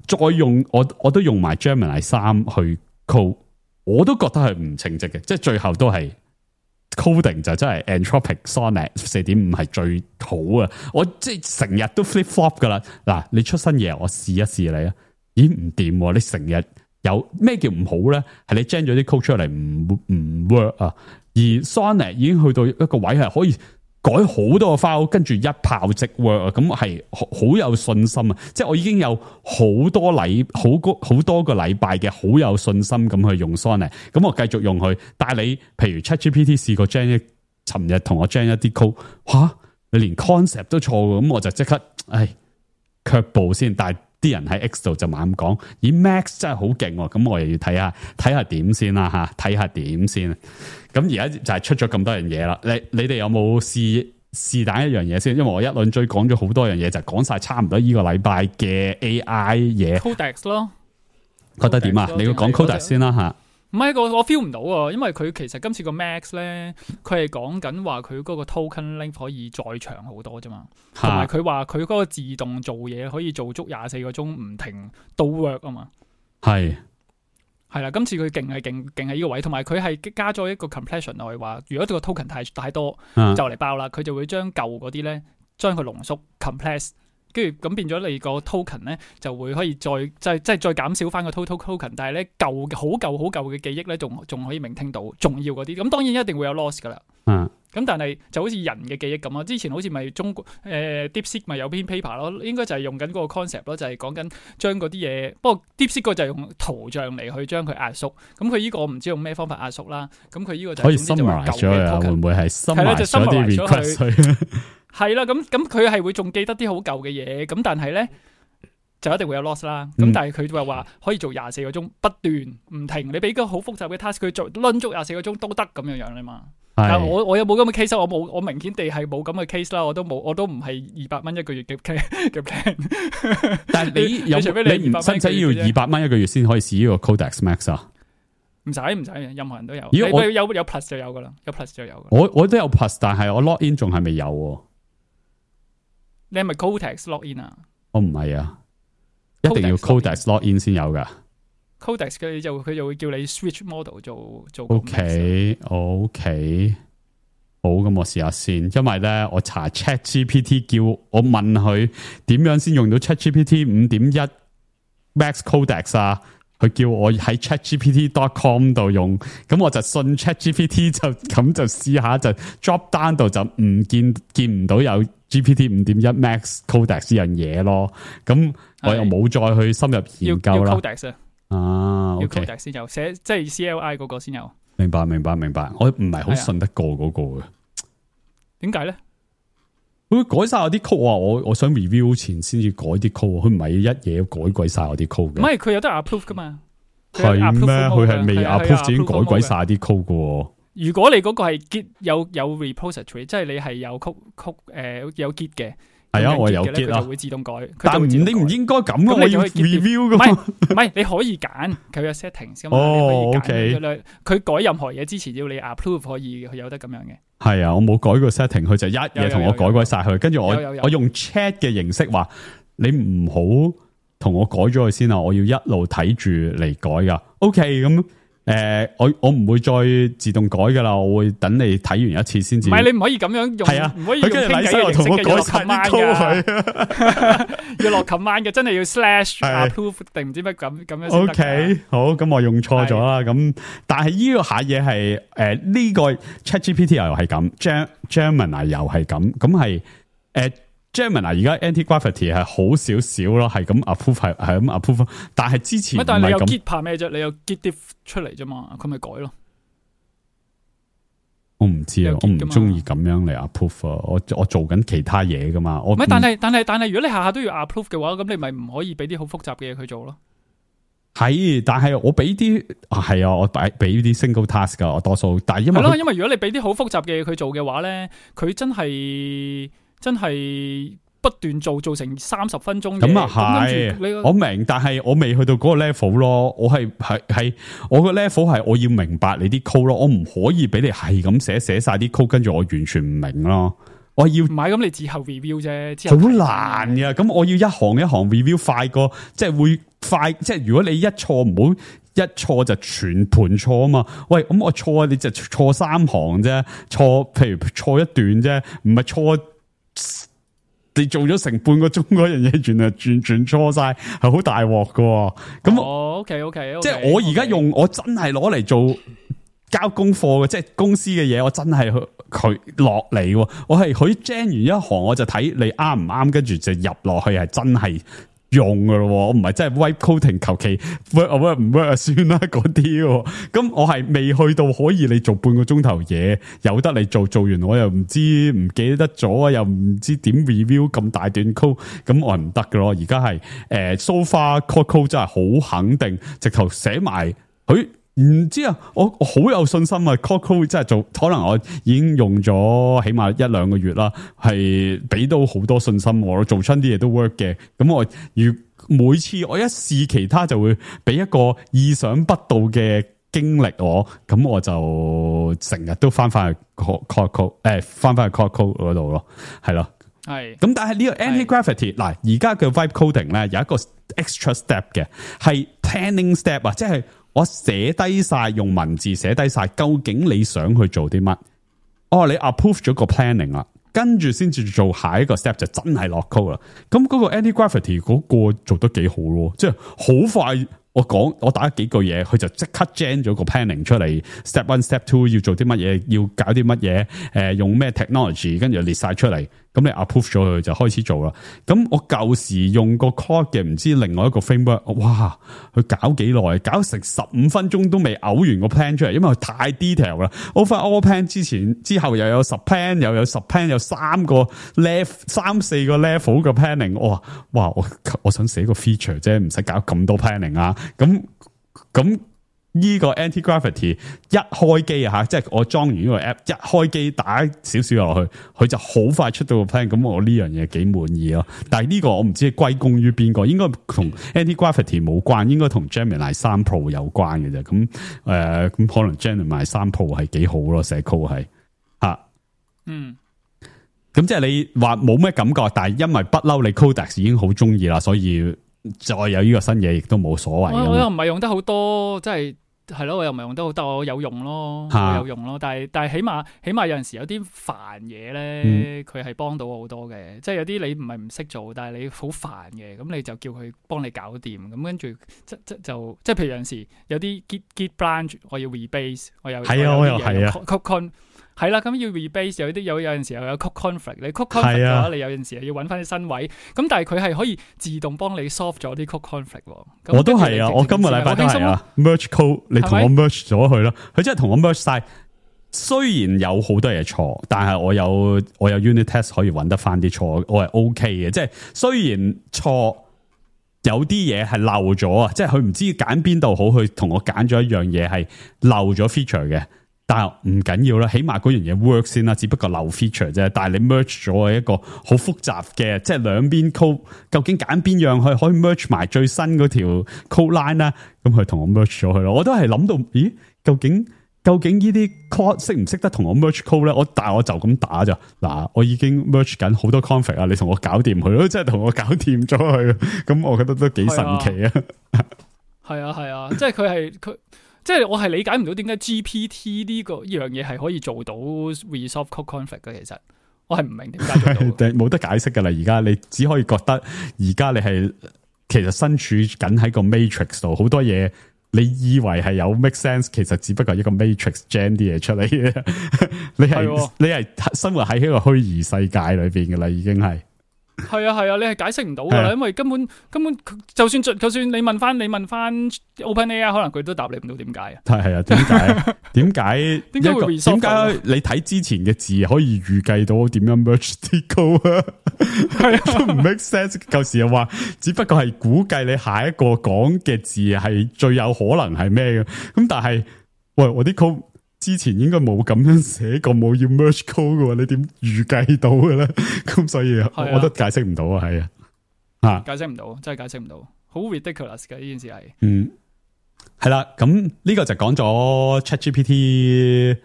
再用我都用埋 Gemini 3去 code， 我都覺得係唔稱職嘅，即係最後都係 coding 就真係 Anthropic Sonnet 4.5 係最好啊！我即係成日都 flip flop 噶啦。嗱，你出新嘢，我試一試你啊，咦唔掂？你成日有咩叫唔好咧？係你 gen 咗啲 code 出嚟唔 work 啊！而 Sonnet 已經去到一個位係可以改好多個 file， 跟住一炮即 work 啊！咁係好有信心啊！即係我已經有好多個禮拜嘅好有信心咁去用 Sonnet， 咁我繼續用佢。但係你譬如 ChatGPT 試過 gen 尋日同我 gen 一啲 code， 吓你連 concept 都錯嘅，咁我就即刻卻步先。但係啲人喺 X 度就猛講，咦 Max 真係好勁喎，咁我又要睇下點先啦吓，睇下點先。咁而家就係出咗咁多樣嘢啦，你哋有冇試打一樣嘢先？因為我一輪追講咗好多樣嘢，就講晒差唔多呢個禮拜嘅 AI 嘢。Codex 咯，覺得點啊？你要講 Codex 先啦吓。唔係我 feel 唔到啊，因為佢其實今次個 Max 咧，佢係講緊話佢嗰個 token length 可以再長好多啫嘛，同埋佢話佢嗰個自動做嘢可以做足24個鐘唔停都 work 啊嘛。係係啦，今次佢勁喺呢個位，同埋佢係加咗一個 compression 落去，話如果個 token 太多就嚟爆啦，佢就會將舊嗰啲咧將佢濃縮 compress， 跟住咁變咗你個 token 咧就會可以再減少翻個 total token， 但係咧好舊嘅記憶咧仲可以聆聽到重要嗰啲，咁當然一定會有 loss 噶啦。咁但係就好似人嘅記憶咁啊，之前好似咪中國DeepSeek 咪有篇 paper 咯，應該就係用緊嗰個 concept 咯，就係講緊將嗰啲嘢，不過 DeepSeek 個就係用圖像嚟去將佢壓縮，咁佢呢個我唔知用咩方法壓縮啦，咁佢呢個就可以 summarize 咗啊，會唔會係 summarize 咗啲 request？ 係啦，咁佢係會仲記得啲好舊嘅嘢，咁但係咧就一定會有 loss 啦。咁但係佢話可以做24個鐘不斷唔停，你俾個好複雜嘅 task 佢做掄足24個鐘都得咁樣樣啦嘛。但係我有冇咁嘅 case？ 我明顯地係冇咁嘅 case 啦，我都唔係200蚊一個月嘅 plan。但係你有你唔使要200蚊一個月先可以試呢個 Codex Max 啊？唔使，任何人都有。有 plus 就有噶啦，有 plus 就有噶。我都有 plus， 但係我 log in 仲係未有。你係咪 Codex log in 啊？我唔係啊，一定要 Codex log in 先有噶。Codex 佢就會叫你 switch model 做。OK， 好，咁我試下先，因為咧我查 ChatGPT 叫我問佢點樣先用到 ChatGPT 5.1 Max Codex 啊，佢叫我喺 ChatGPT.com 度用，咁我就信 ChatGPT 就試下就 drop down 度就唔見唔到有 GPT 5.1 Max Codex 呢樣嘢咯，咁我又冇再去深入研究啦。要 OK， Codex 先有寫，即係 CLI 嗰個先有。明白。我唔係好信得過嗰個嘅。點解咧？佢改晒我啲 code，我想 review 前先至改啲 code，佢唔係一嘢改鬼晒我啲 code 嘅。唔係，佢有得 approve 噶嘛？係咩？佢係未 approve 已經改鬼晒啲 code 嘅。如果你嗰個係 Git 有 repository， 即係你係有有 Git 嘅。係啊，我有 Git 啦，佢就會自動改。但你唔應該咁啊！我要 review 噶嘛？唔係，你可以揀佢有 settings 噶嘛？OK。佢改任何嘢之前要你 approve 可以，佢有得咁樣嘅。係啊，我冇改個 setting， 佢就一嘢同我改鬼晒佢。跟住我用 chat 嘅形式話，你唔好同我改咗佢先啊！我要一路睇住嚟改噶。OK， 咁。我唔會再自動改噶啦，我會等你睇完一次先至。唔係，你唔可以咁樣用，係啊，唔可以用傾偈嘅形式嘅，要落 command 嘅，要落 command 嘅，真係要 slash approve 定唔知乜咁樣先得。OK， 好，咁我用錯咗啦。咁但係呢個下嘢係呢個 ChatGPT 又係咁 ，Gemini 又係咁，咁係Gemini 而家 anti-gravity 係好少少咯，係咁 approve 係咁 approve， 但係之前唔係咁。但係你有 Git 怕咩啫？你有 Git diff 出嚟啫嘛，佢咪改咯。我唔知啊，我唔中意咁樣嚟 approve 啊。我做緊其他嘢噶嘛。唔係，但係如果你下下都要 approve 嘅話，咁你咪唔可以俾啲好複雜嘅嘢佢做咯。係，但係我俾啲係啊，我俾啲 single task 噶，我多數。但係因為因為如果你俾啲好複雜嘅嘢佢做嘅話咧，佢真係不斷做成30分鐘。咁啊係，我明，但係我未去到嗰個 level 咯。我係我個 level 係我要明白你啲 code 咯，我唔可以俾你係咁寫晒啲 code，跟住我完全唔明咯。我要唔係咁，你之後 review 啫，好難噶。咁我要一行一行 review 快過，即係會快。即係如果你一錯唔好一錯就全盤錯啊嘛。喂，咁我錯你就錯3行啫，譬如錯一段啫，唔係錯。你做咗成半個鐘嗰樣嘢，原來完全錯晒，係好大鑊噶。咁OK， 即係我而家用，我真係攞嚟做交功課嘅，即係公司嘅嘢，我真係佢落嚟。我係佢 gen 完一行，我就睇你啱唔啱，跟住就入落去，係真係用噶咯。我唔係真係 wipe coding， 求其 work 唔 work 算啦嗰啲。咁我係未去到可以你做半個鐘頭嘢，有得你做完我又唔知唔記得咗，又唔知點 review 咁大段 code， 咁我係唔得噶咯。而家係so far code 真係好肯定，直頭寫埋佢。唔知啊，我好有信心啊 code 真係做，可能我已經用咗起碼1-2個月啦，係俾到好多信心我做親啲嘢都 work 嘅。咁我每次我一試其他就會俾一個意想不到嘅經歷我，咁我就成日都翻去 code 翻去 code 嗰度咯，係咯。係咁，但係呢個 anti-gravity 嗱，而家嘅 vibe coding 咧有一個 extra step 嘅，係 planning step 啊，即係我寫低晒，用文字寫低晒，究竟你想去做啲乜？哦，你 approve 咗個 planning 啦，跟住先至做下一個 step 就真係落 code 啦。咁嗰個 anti-gravity 嗰個做得幾好咯，即係好快。我打幾句嘢，佢就即刻 gen 咗個 planning 出嚟 ，step 1 step 2要做啲乜嘢，要搞啲乜嘢，用咩 technology， 跟住列晒出嚟，咁你 approve 咗佢就開始做啦。咁我舊時用個 code 嘅，唔知另外一個 framework， 哇，佢搞幾耐，搞成15分鐘都未嘔完個 plan 出嚟，因為佢太 detail 啦。overall plan 之後又有10 plan，又有10 plan，有3個 3、4個 level 嘅 planning， 哇，我想寫個 feature 啫，唔使搞咁多 planning 啊。咁呢個 anti-gravity 一開機啊吓，即係我裝完呢個 app 一開機打少少落去，佢就好快出到個 plan。咁我呢樣嘢幾滿意咯。但係呢個我唔知歸功於邊個，應該同 anti-gravity 冇關，應該同 Gemini 3 Pro 有關嘅啫。咁咁可能 Gemini 3 Pro 係幾好咯，寫 code 係吓。咁即係你話冇咩感覺，但係因為不嬲你 Codex 已經好中意啦，所以再有呢個新嘢亦都冇所謂。我又唔係用得好多，即係咯，我又唔係用得好多，我有用咯，我有用咯。但係起碼有陣時有啲煩嘢咧，佢係幫到我好多嘅。即係有啲你唔係唔識做，但係你好煩嘅，咁你就叫佢幫你搞掂。咁跟住即係譬如有陣時有啲 git branch 我要 rebase， 我又係啊。係啦，咁要 rebase 有陣時又有 code conflict， 你 code conflict 嘅話，你有陣時又要揾翻啲新位，咁但係佢係可以自動幫你 solve 咗啲 code conflict。我都係啊，我今個禮拜都係啊 ，merge code， 你同我 merge 咗佢啦，佢真係同我 merge 晒。雖然有好多嘢錯，但係我有 unit test 可以揾得翻啲錯，我係 OK 嘅。即係雖然錯，有啲嘢係漏咗啊，即係佢唔知揀邊度好，佢同我揀咗一樣嘢係漏咗 feature 嘅。但係唔緊要啦，起碼嗰樣嘢 work 先啦，只不過漏 feature 啫。但係你 merge 咗一個好複雜嘅，即係兩邊 code， 究竟揀邊樣去可以 merge 埋最新嗰條 code line 啦？咁佢同我 merge 咗佢咯。我都係諗到，咦？究竟呢啲 code 識唔識得同我 merge code 咧？但係我就咁打咋嗱，我已經 merge 緊好多 config 啊，你同我搞掂佢咯，即係同我搞掂咗佢。咁我覺得都幾神奇啊！係啊，即係佢。即係我係理解唔到點解 GPT 呢樣嘢係可以做到 resolve code conflict 嘅，其實我係唔明點解做到。冇得解釋噶啦，而家你只可以覺得而家你係其實身處緊喺個 matrix 度，好多嘢你以為係有 make sense， 其實只不過係一個 matrix gen 啲嘢出嚟嘅。你係生活喺一個虛擬世界裏邊噶啦，已經係。係啊，你係解釋唔到噶啦，因為根本就算你問翻 OpenAI， 可能佢都答你唔到點解啊？係啊，點解你睇之前嘅字可以預計到點樣 merge 啲 code 啊？係啊，都唔 make sense。舊時又話只不過係估計你下一個講嘅字係最有可能係咩嘅，咁但係喂，我啲 code 之前應該冇咁樣寫過，冇要 merge code 嘅，你點預計到嘅咧？咁所以我都解釋唔到啊，係啊，解釋唔到，真係解釋唔到，好 ridiculous 嘅呢件事係。係啦，咁呢個就講咗 ChatGPT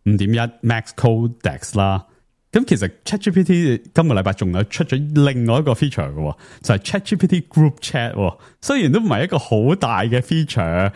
5.1 Max Codex 啦。咁其實 ChatGPT 今個禮拜仲有出咗另外一個 feature 嘅，就係 ChatGPT Group Chat。雖然都唔係一個好大嘅 feature，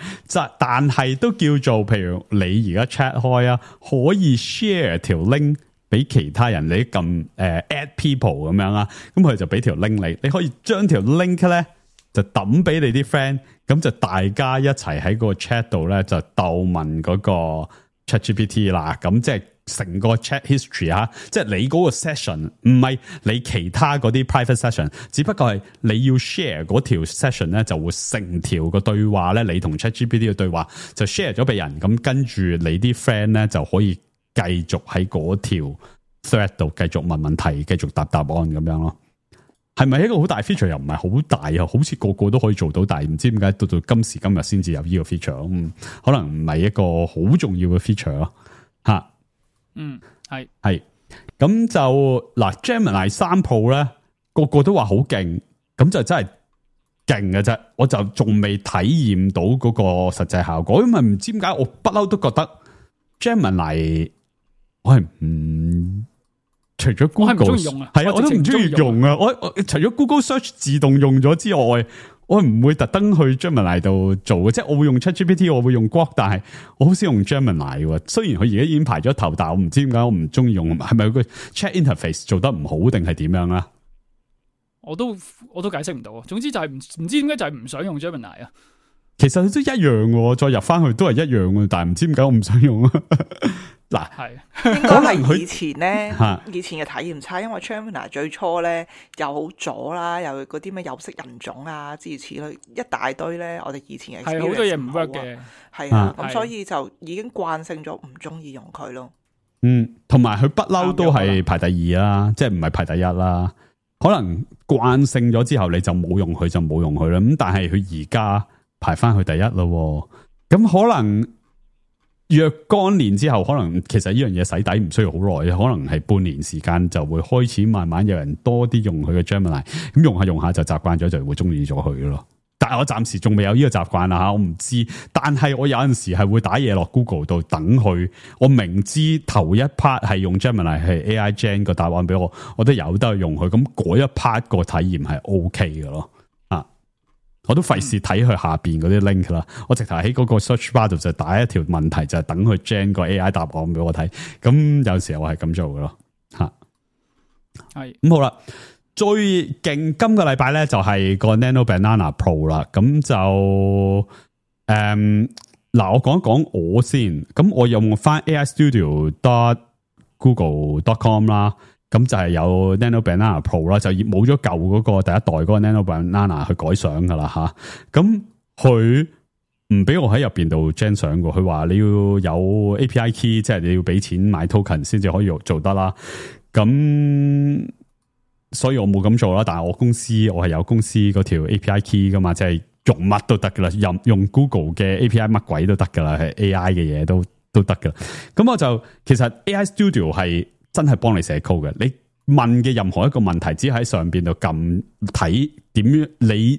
但係都叫做，譬如你而家 chat 開啊，可以 share 條 link 俾其他人，你撳add people 咁樣啦，咁佢就俾條 link你可以將條 link 咧就抌俾你啲 friend，咁就大家一齊喺個 chat 度咧就鬥問嗰個 ChatGPT 啦，咁即係成個 chat history 即係你嗰個 session 唔係你其他嗰啲 private session， 只不過係你要 share 嗰條 session 咧，就會成條個對話咧，你同 ChatGPT 嘅對話就 share 咗俾人，咁跟住你啲 friend 咧就可以繼續喺嗰條 thread 度繼續問問題，繼續答案咁樣咯。係咪一個好大 feature？ 又唔係好大啊，好似個個都可以做到，但係唔知點解到今時今日先至有呢個 feature。可能唔係一個好重要嘅 feature 咯。吓，係咁就嗱 Gemini 3 Pro 咧，個個都話好勁，咁就真係勁嘅啫。我就仲未體驗到嗰個實際效果，因為唔知點解我不嬲都覺得 Gemini 我係唔。除咗 Google 係啊，我都唔中意用啊！我除咗 Google Search 自動用咗之外，我唔會特登去 Gemini 度做嘅，即係我會用 ChatGPT， 我會用 Grok， 但係我好少用 Gemini 喎。雖然佢而家已經排咗頭，但係我唔知點解我唔中意用，係咪個 Chat Interface 做得唔好定係點樣啦？我都解釋唔到，總之就係唔知點解就係唔想用 Gemini 啊。其實都一樣嘅，再入翻去都係一樣嘅，但係唔知點解我唔想用啊。嗱，係應該係以前咧，以前嘅體驗差，因為 Gemini 最初咧又好左啦，又嗰啲咩有色人種啊諸如此類一大堆咧，我哋以前嘅係好多嘢唔 work 嘅，係啊，咁所以就已經慣性咗唔中意用佢咯。同埋佢不嬲都係排第二啦，即係唔係排第一啦。可能慣性咗之後，你就冇用佢就冇用佢啦。咁但係佢而家排翻去第一咯，咁可能若干年之後，可能其實呢樣嘢洗底唔需要好耐，可能係半年時間就會開始慢慢有人多啲用佢嘅 Gemini， 咁用下用下就習慣咗，就會中意咗佢咯。但係我暫時仲未有呢個習慣啦吓，我唔知。但係我有陣時係會打嘢落 Google 度等佢，我明知頭一 part 係用 Gemini 係 AI Gen 個答案俾我，我都有得用佢，咁嗰一 part 個體驗係 OK 嘅咯。我都費事睇佢下邊嗰啲 link 啦，我直頭喺嗰個 search bar 度就打一條問題，就係等佢 gen 個 AI 答案俾我睇。咁有時候我係咁做嘅咯，吓係咁好啦。最勁今個禮拜咧就係個 Nano Banana Pro 啦，咁就嗱我講一講我先，咁我用翻 AI Studio.google.com 啦。咁就係有 Nano Banana Pro 啦，就冇咗舊嗰個第一代嗰個 Nano Banana 去改相噶啦吓。咁佢唔俾我喺入邊度 gen 相嘅，佢話你要有 API key， 即係你要俾錢買 token 先至可以做得啦。咁所以我冇咁做啦。但係我係有公司嗰條 API key 噶嘛，即係用乜都得噶啦，用 Google 嘅 API 乜鬼都得噶啦，係 AI 嘅嘢都得噶啦。咁我就其實 AI Studio 係真係幫你寫 code 嘅，你問嘅任何一個問題，只喺上邊度撳睇點樣，你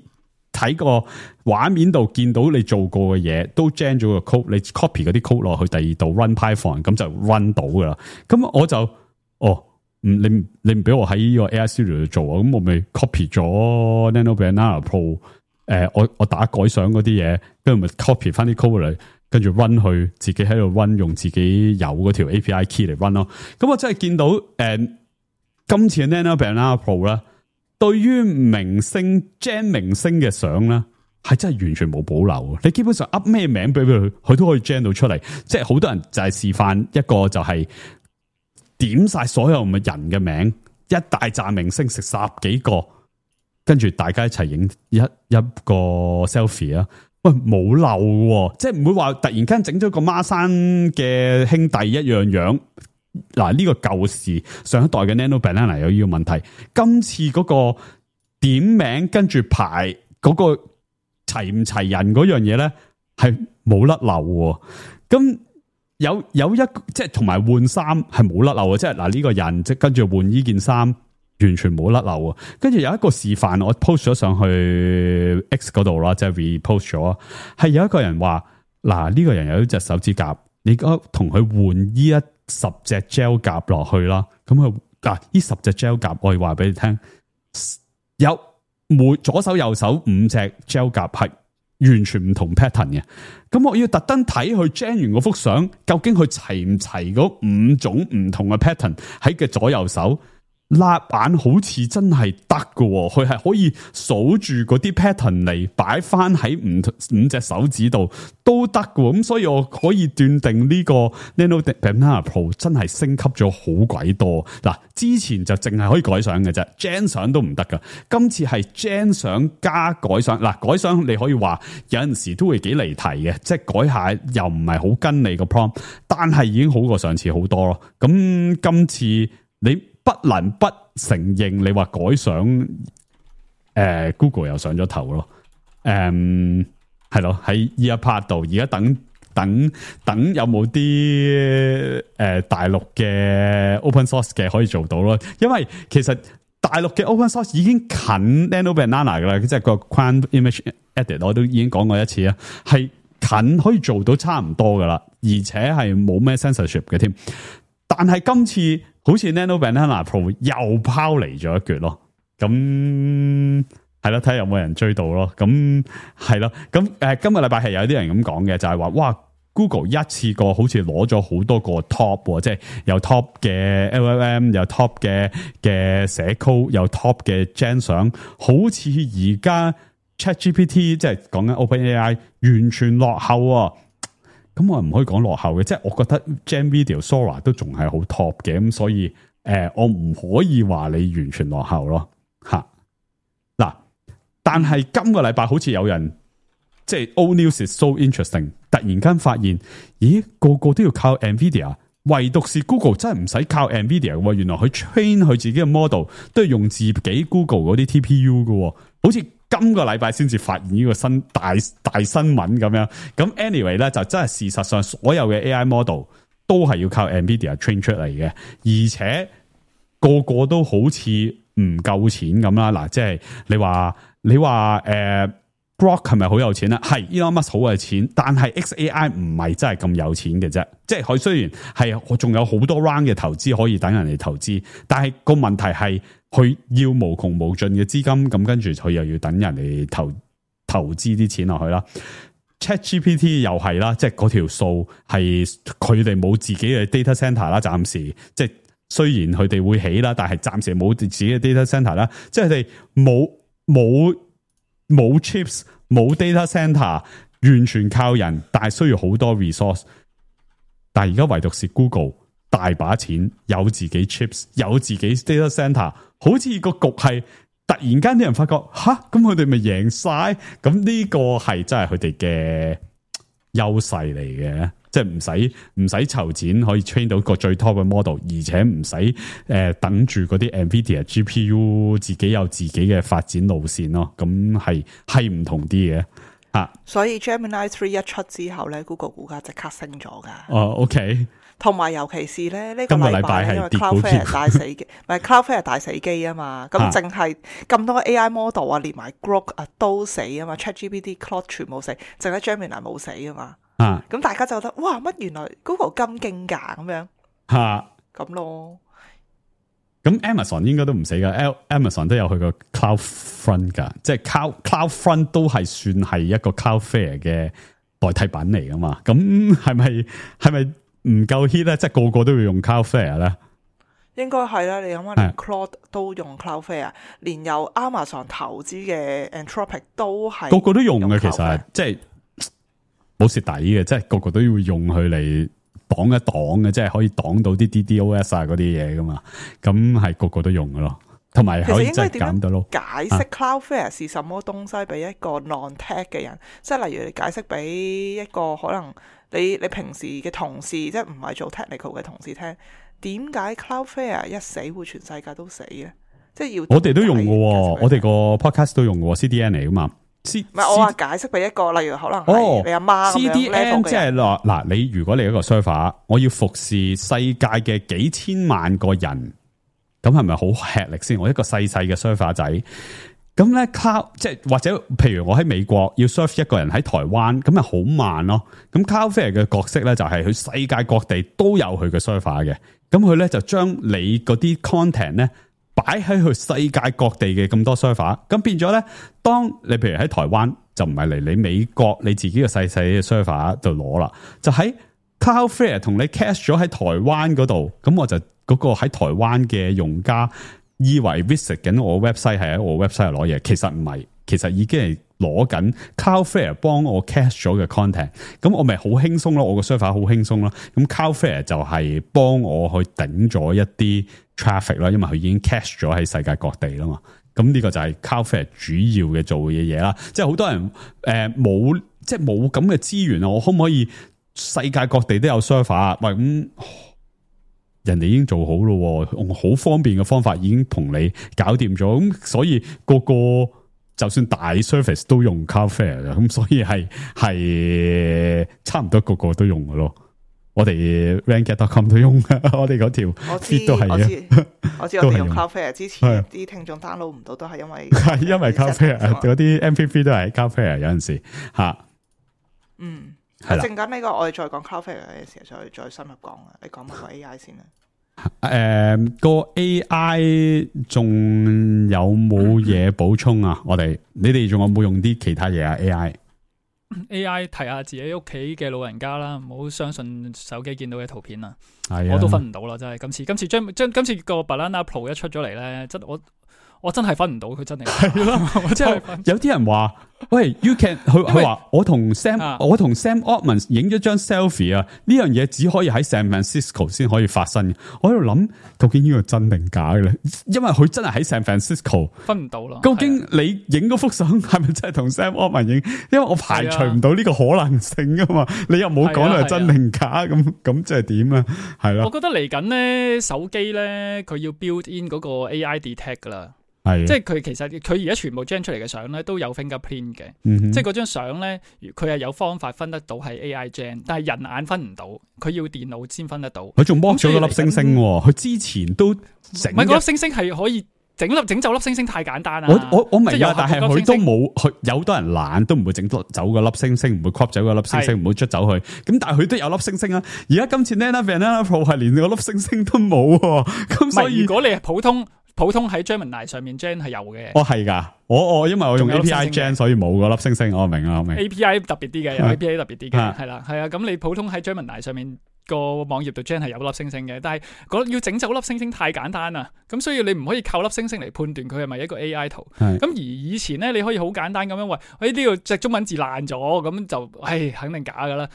睇個畫面度見到你做過嘅嘢，都 gen 咗個 code， 你 copy 嗰啲 code 落去第二度 run Python， 咁就 run 到噶啦。咁我就你唔俾我喺呢個 AI Studio 度做啊，咁我咪 copy 咗 Nano Banana Pro， 我打改相嗰啲嘢，跟住咪 copy 翻啲 code 嚟。跟住 run 去自己喺度 run， 用自己有嗰條 API key 嚟 run 咯。咁我真係見到今次嘅 Nano Banana Pro 啦，對於明星 gen 明星嘅相咧，係真係完全冇保留。你基本上 up 咩名俾佢，佢都可以 gen 到出嚟。即係好多人就係示範一個就係點晒所有嘅人嘅名，一大紮明星食10幾個，跟住大家一齊影一個 selfie 啊！喂，冇漏喎，即係唔會話突然間整咗個孖生嘅兄弟一樣樣。嗱，呢個舊時上一代嘅 Nano Banana 有呢個問題，今次嗰個點名跟住排嗰個齊唔齊人嗰樣嘢咧，係冇甩漏喎。咁有一即係同埋換衫係冇甩漏嘅，即係嗱呢個人即跟住換呢件衫。完全冇甩漏啊！跟住有一個示範，我 post 咗上去 X 嗰度啦，即係 repost 咗。係有一個人話：嗱，呢個人有一隻手指甲，你而家同佢換呢10隻 gel 甲落去啦。咁佢呢10隻 gel 甲，我要話俾你聽，有每左手右手5隻 gel 甲係完全唔同 pattern 嘅。咁我要特登睇佢 gen 完嗰幅相，究竟佢齊唔齊嗰5種唔同嘅 pattern 喺嘅左右手。擸眼好似真係得㗎，佢係可以數住嗰啲 pattern 嚟擺翻喺5隻手指度都得㗎，咁所以我可以斷定呢個 Nano Banana Pro 真係升級咗好鬼多。嗱，之前就淨係可以改相嘅啫 ，gen 相都唔得噶。今次係 gen 相加改相，嗱改相你可以話有陣時都會幾離題嘅，即係改下又唔係好跟你個 prompt， 但係已經好過上次好多咯。咁今次你不能不承認，你話改相，Google 又上咗頭咯，係咯喺呢一 part 度，而家等有冇啲大陸嘅 open source 嘅可以做到咯，因為其實大陸嘅 open source 已經近 Nano Banana 噶啦，即係個 Quant Image Edit 我都已經講過一次啦，係近可以做到差唔多噶啦，而且係冇咩 censorship 嘅添，但係今次好似 Nano Banana Pro 又拋離咗一橛咯，咁係咯，睇下有冇人追到咯。咁係咯，咁今個禮拜係有啲人咁講嘅，就係話哇 Google 一次過好似攞咗好多個 top， 即係有 top 嘅 LLM， 有 top 嘅寫 code， 有 top 嘅 gen 相，好似而家 ChatGPT 即係講緊 OpenAI 完全落後啊！咁我唔可以講落後嘅，即係我覺得 GenVideo、Sora 都仲係好 top 嘅，咁所以我唔可以話你完全落後咯，吓嗱。但係今個禮拜好似有人即係 Old News is so interesting， 突然間發現，咦個個都要靠 NVIDIA， 唯獨是 Google 真係唔使靠 NVIDIA 嘅，原來佢 train 佢自己嘅 model 都係用自己 Google 嗰啲 TPU 嘅，好似今個禮拜先至發現呢個新大新聞咁樣。咁 anyway 咧就真係事實上所有嘅 AI model 都係要靠 NVIDIA train 出嚟嘅，而且個個都好似唔夠錢咁啦。嗱，即係你話Grok 係咪好有錢咧？係 Elon Musk 好有錢，但係 XAI 唔係真係咁有錢嘅啫。即係佢雖然係仲有好多 round 嘅投資可以等人嚟投資，但係個問題係佢要無窮無盡嘅資金，咁跟住佢又要等人嚟投資啲錢落去啦。ChatGPT 又係啦，即係嗰條數係佢哋冇自己嘅 data center 啦，暫時即係雖然佢哋會起啦，但係暫時冇自己嘅 data center 啦，即係佢哋冇 chips 冇 data center， 完全靠人，但係需要好多 resource。但係而家唯獨是 Google 大把錢，有自己 chips， 有自己 data center， 好似個局係突然間啲人發覺吓，咁佢哋咪贏晒？咁呢個係真係佢哋嘅優勢嚟嘅。即係唔使籌錢可以 train 到個最 top 嘅 model， 而且唔使等住嗰啲 NVIDIA GPU 自己有自己嘅發展路線咯。咁係唔同啲嘅吓。所以 Gemini 3一出之後咧 ，Google 股價即刻升咗噶。哦 ，OK。同埋尤其是咧呢個禮拜係因為 Cloudflare 大死機，唔係 Cloudflare 大死機啊嘛。咁淨係咁多 AI model 啊，連埋 Grok 啊都死啊嘛 ，ChatGPT、Claude 全部死，淨係 Gemini 冇死啊嘛。咁大家就覺得哇，乜原來 Google 咁勁噶咁樣咁咯。咁 Amazon 應該都唔死噶 ，Amazon 都有佢個 Cloudfront 噶，即係 Cloudfront 都係算係一個 Cloudflare 嘅代替品嚟噶嘛。咁係咪唔夠 hit 咧？即係個個都要用 Cloudflare 咧？應該係啦。你諗下，連 Claude 都用 Cloudflare， 連由 Amazon 投資嘅 Anthropic 都係個個都用嘅。其實即係。冇蝕底嘅，即係個個都要用佢嚟擋一擋嘅，即係可以擋到啲 DDoS 啊嗰啲嘢噶嘛。咁係個個都用嘅咯，同埋可以即係減到咯。解釋 Cloudflare 是什麼東西俾一個 non-tech 嘅人，即係例如你解釋俾一個可能你平時嘅同事，即係唔係做 technical 嘅同事聽，點解 Cloudflare 一死會全世界都死咧？即係要我哋都用嘅，我哋個 podcast 都用嘅 CDN 嚟噶嘛。唔係我話解釋俾一個，例如可能係你阿媽咁樣 CDN 即係嗱，你如果你一個 server， 我要服侍世界嘅幾千萬個人，咁係咪好吃力先？我一個細細嘅 server 仔，咁咧 cloud 即係或者譬如我喺美國要 serve 一個人喺台灣，咁咪好慢咯。咁 Cloudflare 嘅角色咧就係佢世界各地都有佢嘅 server 嘅，咁佢咧就將你嗰啲 content 咧。擺喺佢世界各地嘅咁多 server， 咁變咗咧，當你譬如喺台灣就唔係嚟你美國你自己嘅細細嘅 server 度攞啦，就喺 Cloudflare 同你 cache 咗喺台灣嗰度，咁我就嗰個喺台灣嘅用家以為 visit 緊我 website 係喺我 website 攞嘢，其實唔係，其實已經係攞緊 Cloudflare 幫我 cache 咗嘅 content， 咁我咪好輕鬆咯，我個 server 好輕鬆咯，咁 Cloudflare 就係幫我去頂咗一啲 traffic 啦，因為佢已經 cache 咗喺世界各地啦嘛，咁呢個就係 Cloudflare 主要嘅做嘅嘢啦，即係好多人冇即係冇咁嘅資源啊，我可唔可以世界各地都有 server 啊？喂，咁人哋已經做好咯，用好方便嘅方法已經同你搞掂咗，咁所以個個就算大 service 都用 Cloudflare 嘅，咁所以係差唔多個個都用嘅咯。我哋 Ranket.com 都用，我哋嗰條 feed 都係嘅。我知我哋用 Cloudflare 之前啲聽眾 download 唔到，都係因為 Cloudflare 嗰啲 MP3 都係 Cloudflare 有陣時吓。係啦。陣間呢個我哋再講 Cloudflare 嘅時候再深入講啊。你講埋個 AI 先啦。個 AI 仲有冇嘢補充啊？你哋仲有冇用啲其他嘢啊 ？AI 提下自己屋企嘅老人家啦，唔好相信手機見到嘅圖片啊！係啊，我都分唔到啦，真係今次個 Banana Pro 一出咗嚟咧，我真係分唔到佢真定假。係咯，即係有啲人話，喂 ，you can 佢話我同 Sam Altman 影咗張 selfie 啊，呢樣嘢只可以喺 San Francisco 先可以發生。我喺度諗，究竟呢個真定假嘅咧？因為佢真係喺 San Francisco， 分唔到啦。究竟你影嗰幅相係咪真係同 Sam Altman 影？因為我排除唔到呢個可能性噶嘛。你又冇講到係真定假，咁即係點啊？係咯。我覺得嚟緊咧手機咧，佢要 build in 嗰個 AI detect 噶啦。係，即係佢其實佢而家全部 gen 出嚟嘅相咧都有 fingerprint 嘅，即係嗰張相咧，佢係有方法分得到係 AI gen， 但係人眼分唔到，佢要電腦先分得到。佢仲剝咗嗰粒星星，佢之前都整，唔係嗰粒星星係可以整走粒星星太簡單啦。我明啊，但係佢都冇，佢有好多人懶都唔會整走嗰粒星星，唔會 crop 走嗰粒星星，唔會捽走佢。咁但係佢都有粒星星啊。而家今次 Banana Pro 係連嗰粒星星都冇，咁所以如果你係普通喺 Gemini 上面 gen 係有嘅。係㗎，我因為我用 API gen 所以冇嗰粒星星，我明。API 特別啲嘅，有 API 特別啲嘅，係啦，係啊。咁你普通喺 Gemini 上面個網頁度 gen 係有粒星星嘅，但係要整走粒星星太簡單啦，咁所以你唔可以靠粒星星嚟判斷佢係咪一個 AI 圖。咁而以前咧，你可以好簡單咁樣話，呢度隻中文字爛咗，咁就肯定假噶啦。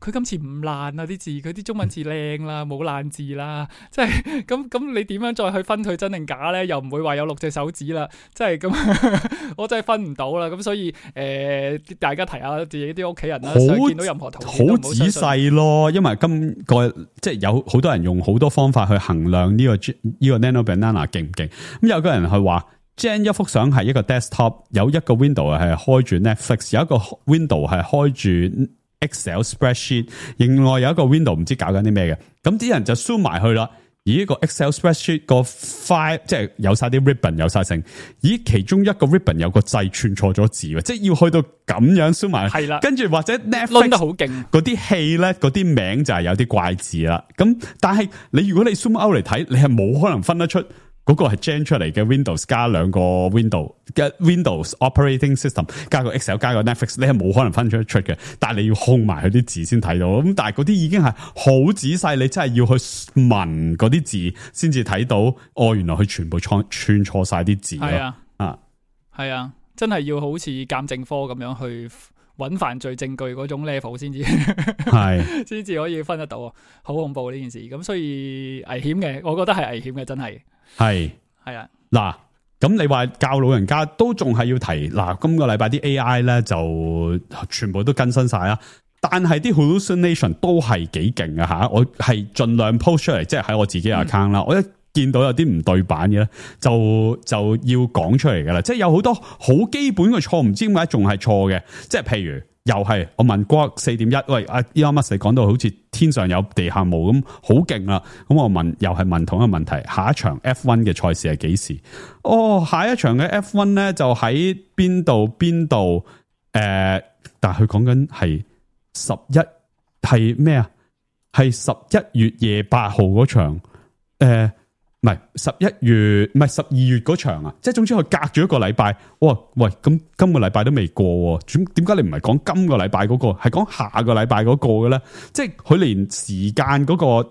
佢今次唔爛啊啲字，佢啲中文字靚啦，冇爛字啦，即係咁你點樣再去分佢真定假咧？又唔會話有6隻手指啦，即係咁，我真係分唔到啦。咁所以大家提下自己啲屋企人啦，見到任何圖片好仔細咯，因為即係有好多人用好多方法去衡量呢個 Nano Banana 勁唔勁。咁有個人係話 Gen 一幅相係一個 desktop， 有一個 window 係開住 Netflix， 有一個 window 係開住 Excel spreadsheet， 另外有一個 window 唔知搞緊啲咩嘅。咁啲人就 zoom 埋去啦。而呢個 Excel spreadsheet 個 file 即係有晒啲 ribbon 有晒成，咦其中一個 ribbon 有個掣串錯咗字，即係要去到咁樣 zoom 埋，係啦，跟住或者 Netflix 得好勁嗰啲戲咧，嗰啲名就係有啲怪字啦。咁但係如果你 zoom out 嚟睇，你係冇可能分得出嗰個係 gen 出嚟嘅 Windows 加兩個 Windows 嘅 Windows Operating System 加個 Excel 加個 Netflix， 你係冇可能分出嘅。但係你要控埋佢啲字先睇到。咁但係嗰啲已經係好仔細，你真係要去聞嗰啲字先至睇到。原來佢全部串錯晒啲字咯。係啊，真係要好似鑑證科咁樣去揾犯罪證據嗰種 level 先至係，先至可以分得到。好恐怖呢件事。咁所以危險嘅，我覺得係危險嘅，真係。係啊，嗱，咁你話教老人家都仲係要提嗱，今個禮拜啲 AI 咧就全部都更新晒啦，但係啲 hallucination 都係幾勁啊吓，我係盡量 post 出嚟，即係喺我自己 account 啦，我一見到有啲唔對版嘅咧，就要講出嚟噶啦，即係有好多好基本嘅錯，唔知點解仲係錯嘅，即係譬如。又係我問 Grok 4.1， 喂Elon Musk 講到好似天上有地下冇咁好勁啦，咁我又係問同一個問題，下一場 F1 嘅賽事係幾時？下一場嘅 F1 咧就喺邊度？但係佢講緊係11係咩啊？係11月夜8號嗰場唔係11月，唔係12月嗰場啊！即係總之佢隔咗一個禮拜，喂，咁今個禮拜都未過，點解你唔係講今個禮拜嗰個，係講下個禮拜嗰個嘅咧？即係佢連時間嗰個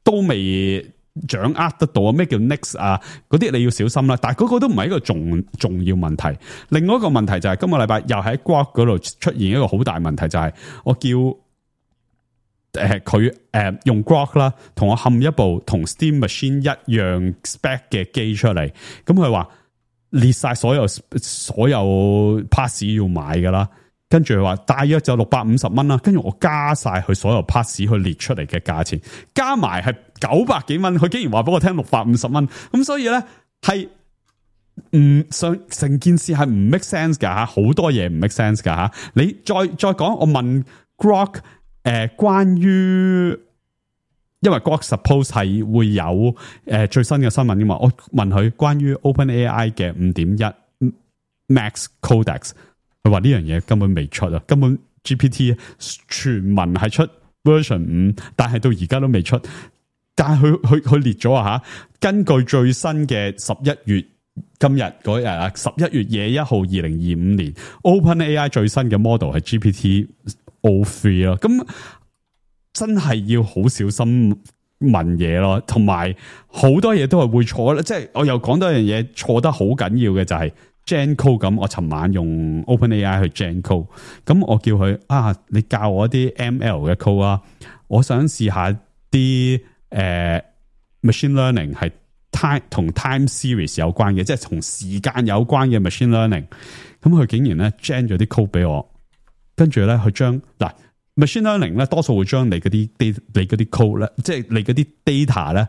都未掌握得到啊！咩叫 next 啊？嗰啲你要小心啦。但係嗰個都唔係一個重要問題。另外一個問題就係今個禮拜又喺 Grok 嗰度出現一個好大問題，就係我叫。佢用 Grok 啦，同我冚一部同 Steam Machine 一樣 spec 嘅機出嚟，咁佢話列晒所有 pass 要買噶啦，跟住佢話大約就650蚊啦，跟住我加晒佢所有 pass 去列出嚟嘅價錢，加埋係900幾蚊，佢竟然話俾我聽650蚊，咁所以咧係唔想成件事係唔 make sense 噶吓，好多嘢唔 make sense 噶吓，你再講，我問 Grok。關於，因為 Grok suppose 係會有最新嘅新聞噶嘛，我問佢關於 OpenAI 嘅5.1 Max Codex， 佢話呢樣嘢根本未出啊，根本 GPT 傳聞係出 version 5，但係到而家都未出。但係佢列咗啊吓，根據最新嘅11月今日嗰日啊，11月21號2025年 OpenAI 最新嘅 model 係 GPT-O3 咯，咁真係要好小心問嘢咯，同埋好多嘢都係會錯啦，即係我又講多一樣嘢錯得好緊要嘅就係 Gen Code 咁，我尋晚用 OpenAI 去 Gen Code， 咁我叫佢你教我啲 ML 嘅 code 啊，我想試下啲machine learning 係同 time series 有關嘅，即係同時間有關嘅 machine learning， 咁佢竟然咧 gen 咗啲 code 俾我，跟住咧佢將machine learning 咧多數會將你嗰啲 code 咧，即係你嗰啲 data 咧，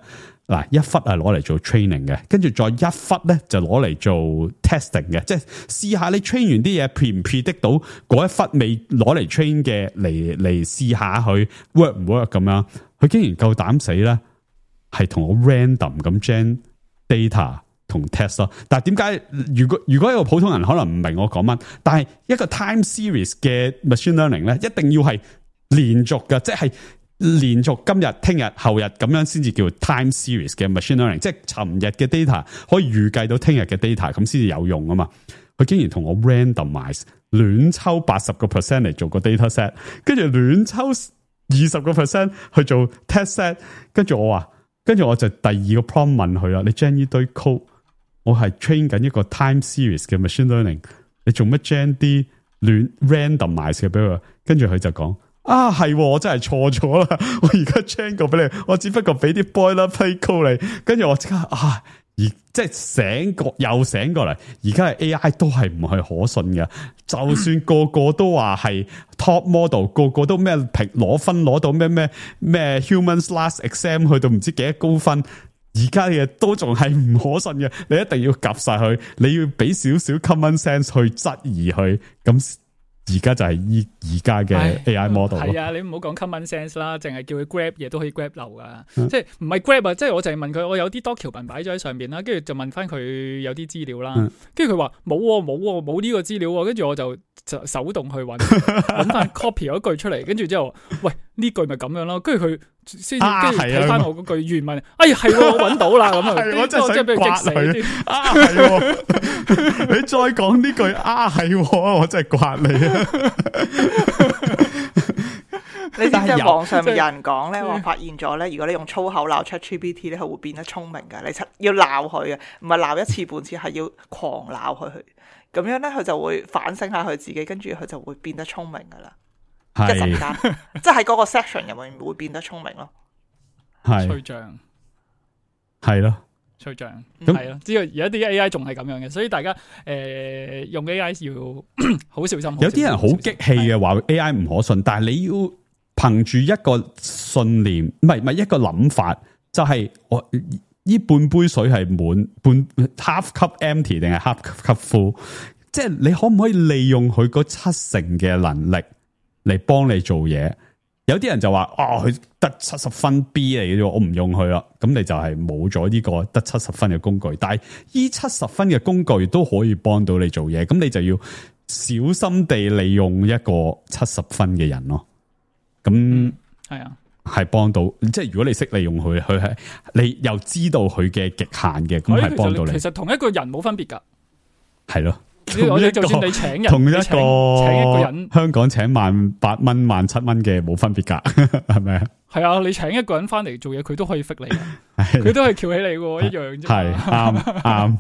一忽係攞嚟做 training 嘅，跟住再一忽咧就攞嚟做 testing 嘅，即係試下你 train 完啲嘢 predict 到嗰一忽未攞嚟 train 嘅嚟試下佢 work 唔 work 咁樣，佢竟然夠膽死咧，係同我 random 咁 gen data 同 test 咯。但係點解如果一個普通人可能唔明我講乜，但係一個 time series 嘅 machine learning 咧，一定要係連續嘅，即係連續今日、聽日、後日咁樣先至叫 time series 嘅 machine learning， 即係尋日嘅 data 可以預計到聽日嘅 data， 咁先至有用啊嘛。佢竟然同我 randomize 亂抽 80% 嚟做個 data set， 跟住亂抽 20% 去做 test set， 跟住我就第二個 prompt 問佢啦，你 gen 呢堆 code， 我係 train 緊一個 time series 嘅 machine learning， 你做乜 gen 啲亂 randomize 嘅俾佢？跟住佢就講係，我真係錯咗啦，我而家 gen 過俾你，我只不過俾啲 boilerplate code 你，跟住我即刻而即係醒過嚟，而家係 AI 都係唔係可信嘅，就算個個都話係 top model， 個個都咩攞分攞到咩 humans last exam 去到唔知幾多高分，而家嘅都仲係唔可信嘅，你一定要夾晒佢，你要俾少少 common sense 去質疑佢，咁而家就係而家嘅 AI model。係啊，你唔好講 common sense 啦，淨係叫佢 grab 嘢都可以 grab 漏噶，即係唔係 grab 啊，即係我淨係問佢，我有啲多橋文擺咗喺上邊啦，跟住就問翻佢有啲資料啦，跟住佢話冇呢個資料，跟住我就手動去揾翻 copy 嗰句出嚟，跟住之後，喂呢句咪咁樣咯，跟住佢先跟住睇翻我嗰句原文，係我揾到啦咁啊，我真係想刮佢你再講呢句係我真係刮你啊！你知唔知網上面有人講咧，話發現咗咧，如果你用粗口鬧 ChatGPT 咧，佢會變得聰明噶。你要鬧佢啊，唔係鬧一次半次，係要狂鬧佢。咁樣咧，佢就會反省下佢自己，跟住佢就會變得聰明噶啦。一陣間，即係喺嗰個 section 入面會變得聰明咯。係吹脹，係咯。吹脹係咯，知道而家啲 AI 仲係咁樣嘅，所以大家用 AI 要好小心。有啲人好激氣嘅話 AI 唔可信，但係你要憑住一個信念，唔係一個諗法，就係我呢半杯水係滿半 half cup empty 定係 half cup full， 即係你可唔可以利用佢嗰70%嘅能力嚟幫你做嘢？有啲人就話佢得70分 B 嚟嘅啫，我唔用佢啦。咁你就係冇咗呢個得70分嘅工具。但係呢70分嘅工具都可以幫到你做嘢，咁你就要小心地利用一個70分嘅人咯。咁係啊，係幫到。即係如果你識利用佢，佢係你又知道佢嘅極限嘅，咁係幫到你。其實同一個人冇分別噶，係咯。我哋就算你請人，同一個請一個人，香港請18蚊、17蚊嘅冇分別噶，係咪啊？係啊，你請一個人翻嚟做嘢，佢都可以逼你，佢都係翹起你嘅，一樣啫。係啱，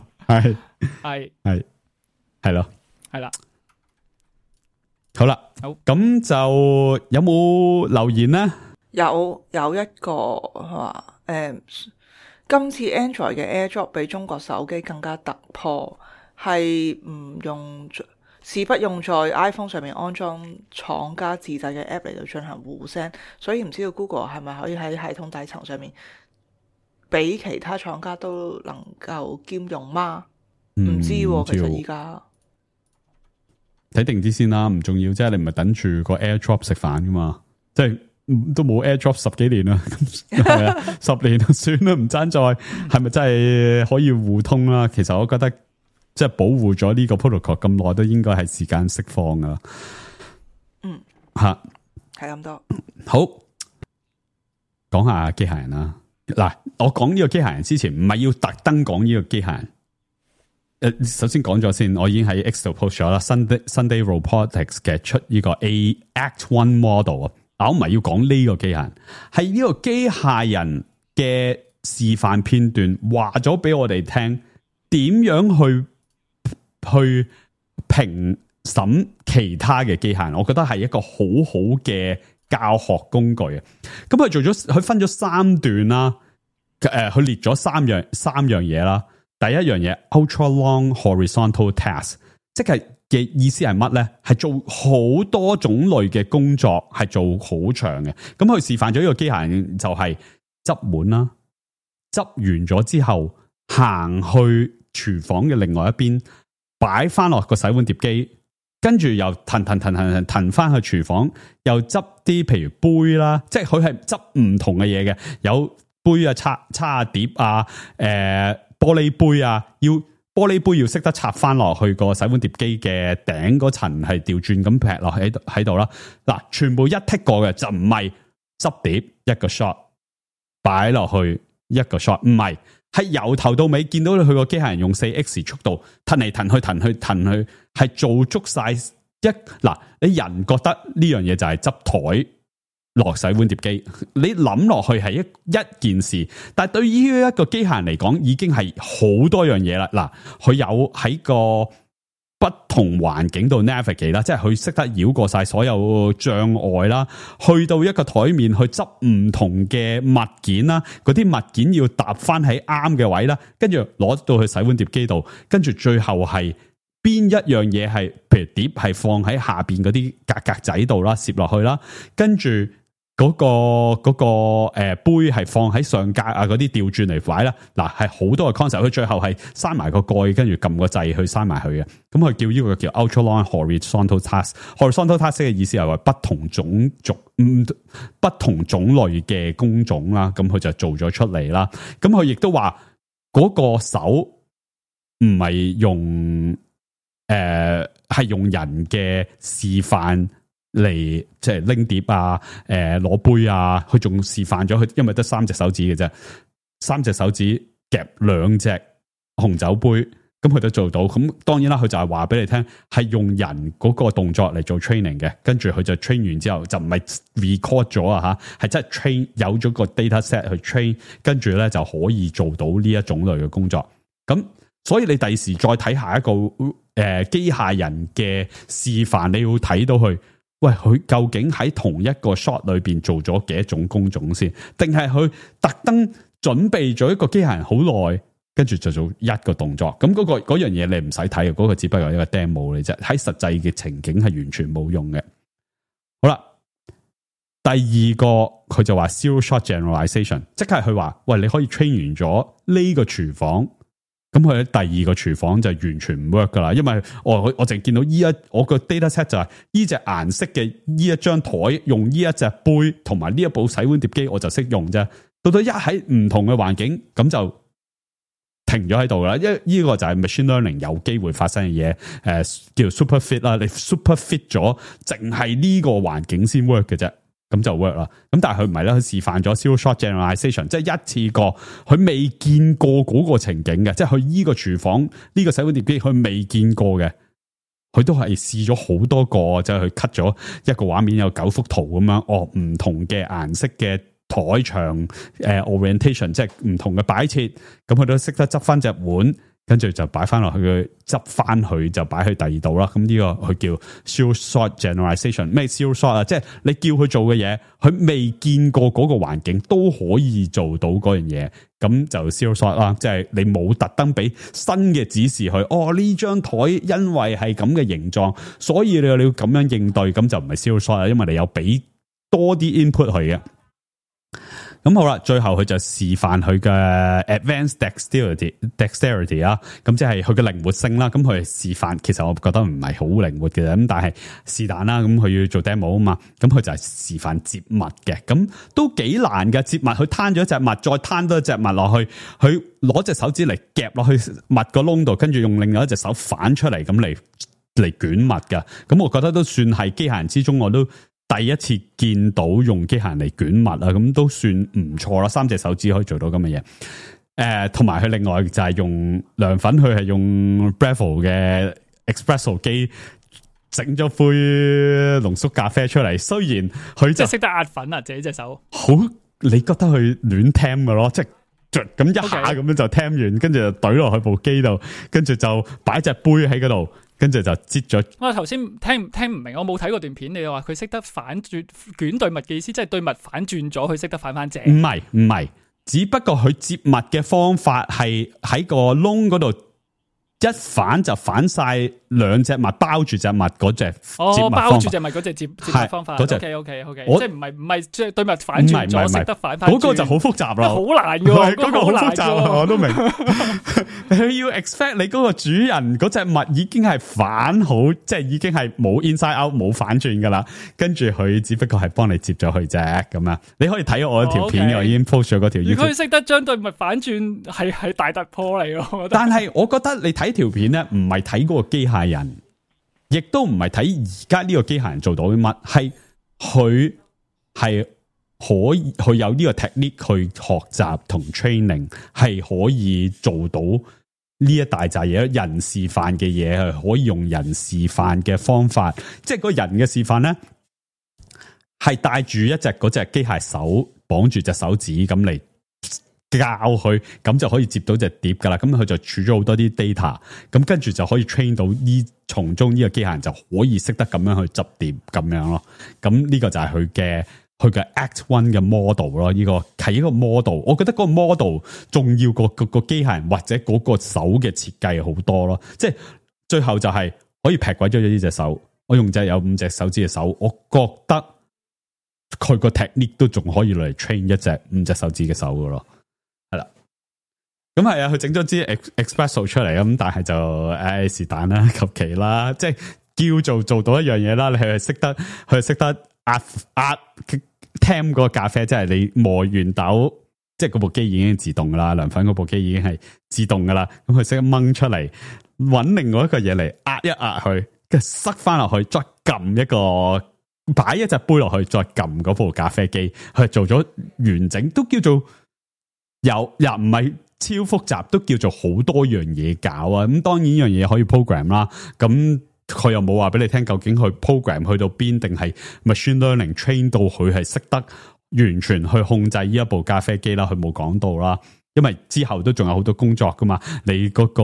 係咯，係啦。好啦，咁就有冇留言呢？有一個話，今次 Android 嘅 AirDrop 比中國手機更加突破。係是不用在 iPhone 上面安裝廠家自製嘅 app 嚟到進行互 send， 所以唔知道 Google 係咪可以喺系統底層上面俾其他廠家都能夠兼容嗎？唔知其實依家睇定啲先啦，唔重要，即係你唔係等住個 AirDrop 食飯噶嘛，即係都冇 AirDrop 10幾年啦，係啊，10年算啦，唔爭再係咪真係可以互通啦？其實我覺得。即係保護咗呢個 protocol 咁耐，都應該係時間釋放噶。係咁多。好，講下機械人啦。嗱，我講呢個機械人之前，唔係要特登講呢個機械人。首先講咗先，我已經喺 X 度 post 咗啦。Sunday Robotics 嘅出呢個 Act One Model 啊，我唔係要講呢個機械人，係呢個機械人嘅示範片段，話咗俾我哋聽點樣去評審其他嘅機械人。我覺得係一個好好嘅教學工具啊。咁佢分咗3段啦，佢列咗三樣嘢啦。第一樣嘢 ultra long horizontal task， 即係嘅意思係乜咧？係做好多種類嘅工作，係做好長嘅。咁佢示範咗呢個機械人就係執碗啦，執完咗之後行去廚房嘅另外一邊，擺翻落個洗碗碟機，跟住又騰翻去廚房，又執啲譬如杯啦，即係佢係執唔同嘅嘢嘅，有杯啊、叉碟啊、玻璃杯啊，玻璃杯要識得插翻落去個洗碗碟機嘅頂嗰層，係調轉咁劈落喺度啦。嗱，全部一剔過嘅就唔係執碟一個 shot 擺落去一個 shot， 唔係由頭到尾見到佢個機械人用 4X 速度騰嚟騰去，係做足晒嗱。你人覺得呢樣嘢就係執台落洗碗碟機，你諗落去係一件事，但係對於一個機械人嚟講，已經係好多樣嘢啦。嗱，佢有喺個不同環境度 navigate 啦，即係佢識得繞過晒所有障礙啦，去到一個台面去執唔同嘅物件啦，嗰啲物件要搭翻喺啱嘅位啦，跟住攞到去洗碗碟機度，跟住最後係邊一樣嘢係，譬如碟係放喺下邊嗰啲格仔度啦，攝落去啦，跟住嗰個杯係放喺上格啊，嗰啲調轉嚟擺啦。嗱，係好多嘅 concept，佢最後係閂埋個蓋，跟住撳個掣去閂埋佢嘅。咁佢叫呢個叫 ultra long horizontal task。horizontal task 嘅意思係話不同種類嘅工種啦。咁佢就做咗出嚟啦。咁佢亦都話嗰個手唔係用係用人嘅示範嚟，即係拎碟啊，攞杯啊，佢仲示範咗佢，因為得3隻手指嘅啫，3隻手指夾2隻紅酒杯，咁佢都做到。咁當然啦，佢就係話俾你聽，係用人嗰個動作嚟做 training 嘅，跟住佢就 train 完之後就唔係 record 咗啊吓，係真係 train 有咗個 data set 去 train，跟住咧就可以做到呢一種類嘅工作。咁所以你第時再睇下一個機械人嘅示範，你要睇到佢。喂，佢究竟喺同一個 shot 裏邊做咗幾多種工種先？定係佢特登準備咗一個機械人好耐，跟住就做一個動作？咁嗰樣嘢你唔使睇嘅，嗰個只不過係一個 demo 嚟啫。喺實際嘅情景係完全冇用嘅。好啦，第二個佢就話 zero shot generalization， 即係佢話喂，你可以 train 完咗呢個廚房。咁佢喺第二個廚房就完全唔 work 噶啦，因為我淨見到我個 data set 就係呢隻顏色嘅呢一張台用呢一隻杯同埋呢一部洗碗碟機我就識用啫。到到喺唔同嘅環境咁就停咗喺度啦。因為呢個就係 machine learning 有機會發生嘅嘢，叫 super fit 啦。你 super fit 咗，淨係呢個環境先 work 嘅啫。咁就 work 啦，咁但係佢唔係咧，佢示範咗 zero shot generalization， 即係一次過佢未見過嗰個情景嘅，即係佢呢個廚房呢個洗碗碟機佢未見過嘅，佢都係試咗好多個，就係佢 cut 咗一個畫面有9幅圖咁樣，唔同嘅顏色嘅台牆orientation， 即係唔同嘅擺設，咁佢都識得執翻隻碗。跟住就擺翻落去，執翻佢就擺去第二度啦。咁呢個佢叫 zero shot generalization。咩 zero shot 啊？即係你叫佢做嘅嘢，佢未見過嗰個環境都可以做到嗰樣嘢，咁就 zero shot 啦。即係你冇特登俾新嘅指示佢。呢張台因為係咁嘅形狀，所以你要咁樣應對，咁就唔係 zero shot 啦。因為你有俾多啲 input 佢嘅。咁好啦，最後佢就示範佢嘅 advanced dexterity 啦，咁即係佢嘅靈活性啦。咁佢示範，其實我覺得唔係好靈活嘅，咁但係是但啦。咁佢要做 demo 啊嘛，咁佢就係示範接物嘅，咁都幾難嘅接物。佢攤咗一隻物，再攤多一隻物落去，佢攞隻手指嚟夾落去物個窿度，跟住用另外一隻手反出嚟咁嚟捲物噶。咁我覺得都算係機械人之中我都第一次見到用機械人嚟捲物啊，咁都算唔錯啦。3隻手指可以做到咁嘅嘢。同埋佢另外就係用涼粉，佢係用 Breville 嘅 Espresso 機整咗杯濃縮咖啡出嚟。雖然佢即係識得壓粉啊，自己隻手好，你覺得佢亂聽嘅咯，即係咁一下咁樣就聽完，跟住就懟落去部機度，跟住就擺隻杯喺嗰度。跟住就擠咗。我頭先聽唔明，我冇睇過段片。你話佢識得反轉捲對襪嘅意思，即係對襪反轉咗，佢識得反翻正。唔係，只不過佢接襪嘅方法係喺個窿嗰度一反就反晒兩隻襪包住隻襪嗰隻接襪包住隻襪嗰隻接襪方法。OK， 即係唔係即係對襪反轉咗，識得反翻。嗰個就好複雜啦，好難嘅，嗰個好複雜啊，我都明。佢要 expect 你嗰個主人嗰隻襪已經係反好，即係已經係冇 inside out 冇反轉噶啦，跟住佢只不過係幫你接咗佢啫咁啊。你可以睇我一條片，我已經 post 咗嗰條。如果佢識得將對襪反轉，係大突破嚟咯。但係我覺得你睇條片咧，唔係睇嗰個機械人，亦都唔係睇而家呢個機械人做到啲乜，係佢係可以佢有呢個 technique 去學習同 training， 係可以做到呢一大扎嘢，人示範嘅嘢係可以用人示範嘅方法，即係個人嘅示範咧，係帶住一隻嗰隻機械手綁住隻手指咁嚟教佢，咁就可以接到隻碟噶啦。咁佢就儲咗好多啲 data， 咁跟住就可以 train 到呢，從中呢個機械人就可以識得咁樣去執碟咁樣咯。咁呢個就係佢嘅 Act One 嘅 model 咯。呢個係一個 model， 我覺得嗰個 model 重要過個機械人或者嗰個手嘅設計好多咯。即係最後就係可以劈鬼咗呢隻手，我用有5隻手指嘅手，我覺得佢個 technique 都仲可以嚟 train 一隻5隻手指嘅手噶咯。係啦，咁係啊，佢整咗支 Espresso 出嚟咁，但係就是但啦，求其啦，即係叫做到一樣嘢啦。你係識得壓 temp 個咖啡，即係你磨完豆，即係嗰部機已經自動噶啦，涼粉嗰部機已經係自動噶啦。咁佢識得掹出嚟，搵另外一個嘢嚟壓一壓佢，跟住塞翻落去，再撳一個擺一隻杯落去，再撳嗰部咖啡機，佢做咗完整，都叫做。又唔係超複雜，都叫做好多樣嘢搞啊！咁當然呢樣嘢可以 program 啦，咁佢又冇話俾你聽究竟佢 program 去到邊，定係 machine learning train 到佢係識得完全去控制呢一部咖啡機啦，佢冇講到啦，因為之後都仲有好多工作噶嘛，你嗰個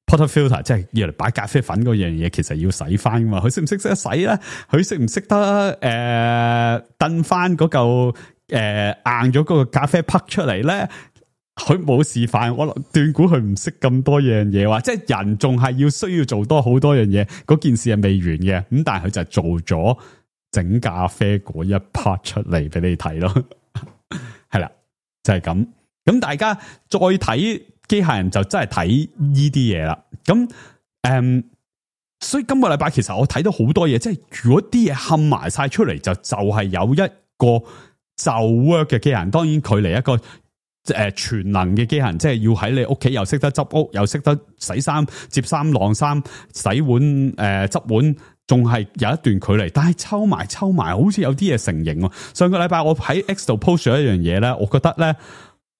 portafilter 即係要嚟擺咖啡粉嗰樣嘢，其實要洗翻噶嘛，佢識唔識得洗咧？佢識唔識得燉翻嗰嚿？硬咗嗰個咖啡匹出嚟咧，佢冇示範，我斷估佢唔識咁多樣嘢，話即係人仲係需要做多好多樣嘢，嗰件事係未完嘅，咁但係佢就做咗整咖啡嗰一 part 出嚟俾你睇咯，係啦，就係咁。咁大家再睇機械人就真係睇呢啲嘢啦。咁所以今個禮拜其實我睇到好多嘢，即係如果啲嘢冚埋晒出嚟，就係有一個。就 work 嘅機械人，當然佢嚟一個全能嘅機械人，即係要喺你屋企又識得執屋，又識得洗衫、摺衫、晾衫、洗碗、執碗，仲係有一段距離。但係抽埋，好似有啲嘢成型。上個禮拜我喺 X 度 post 咗一樣嘢咧，我覺得咧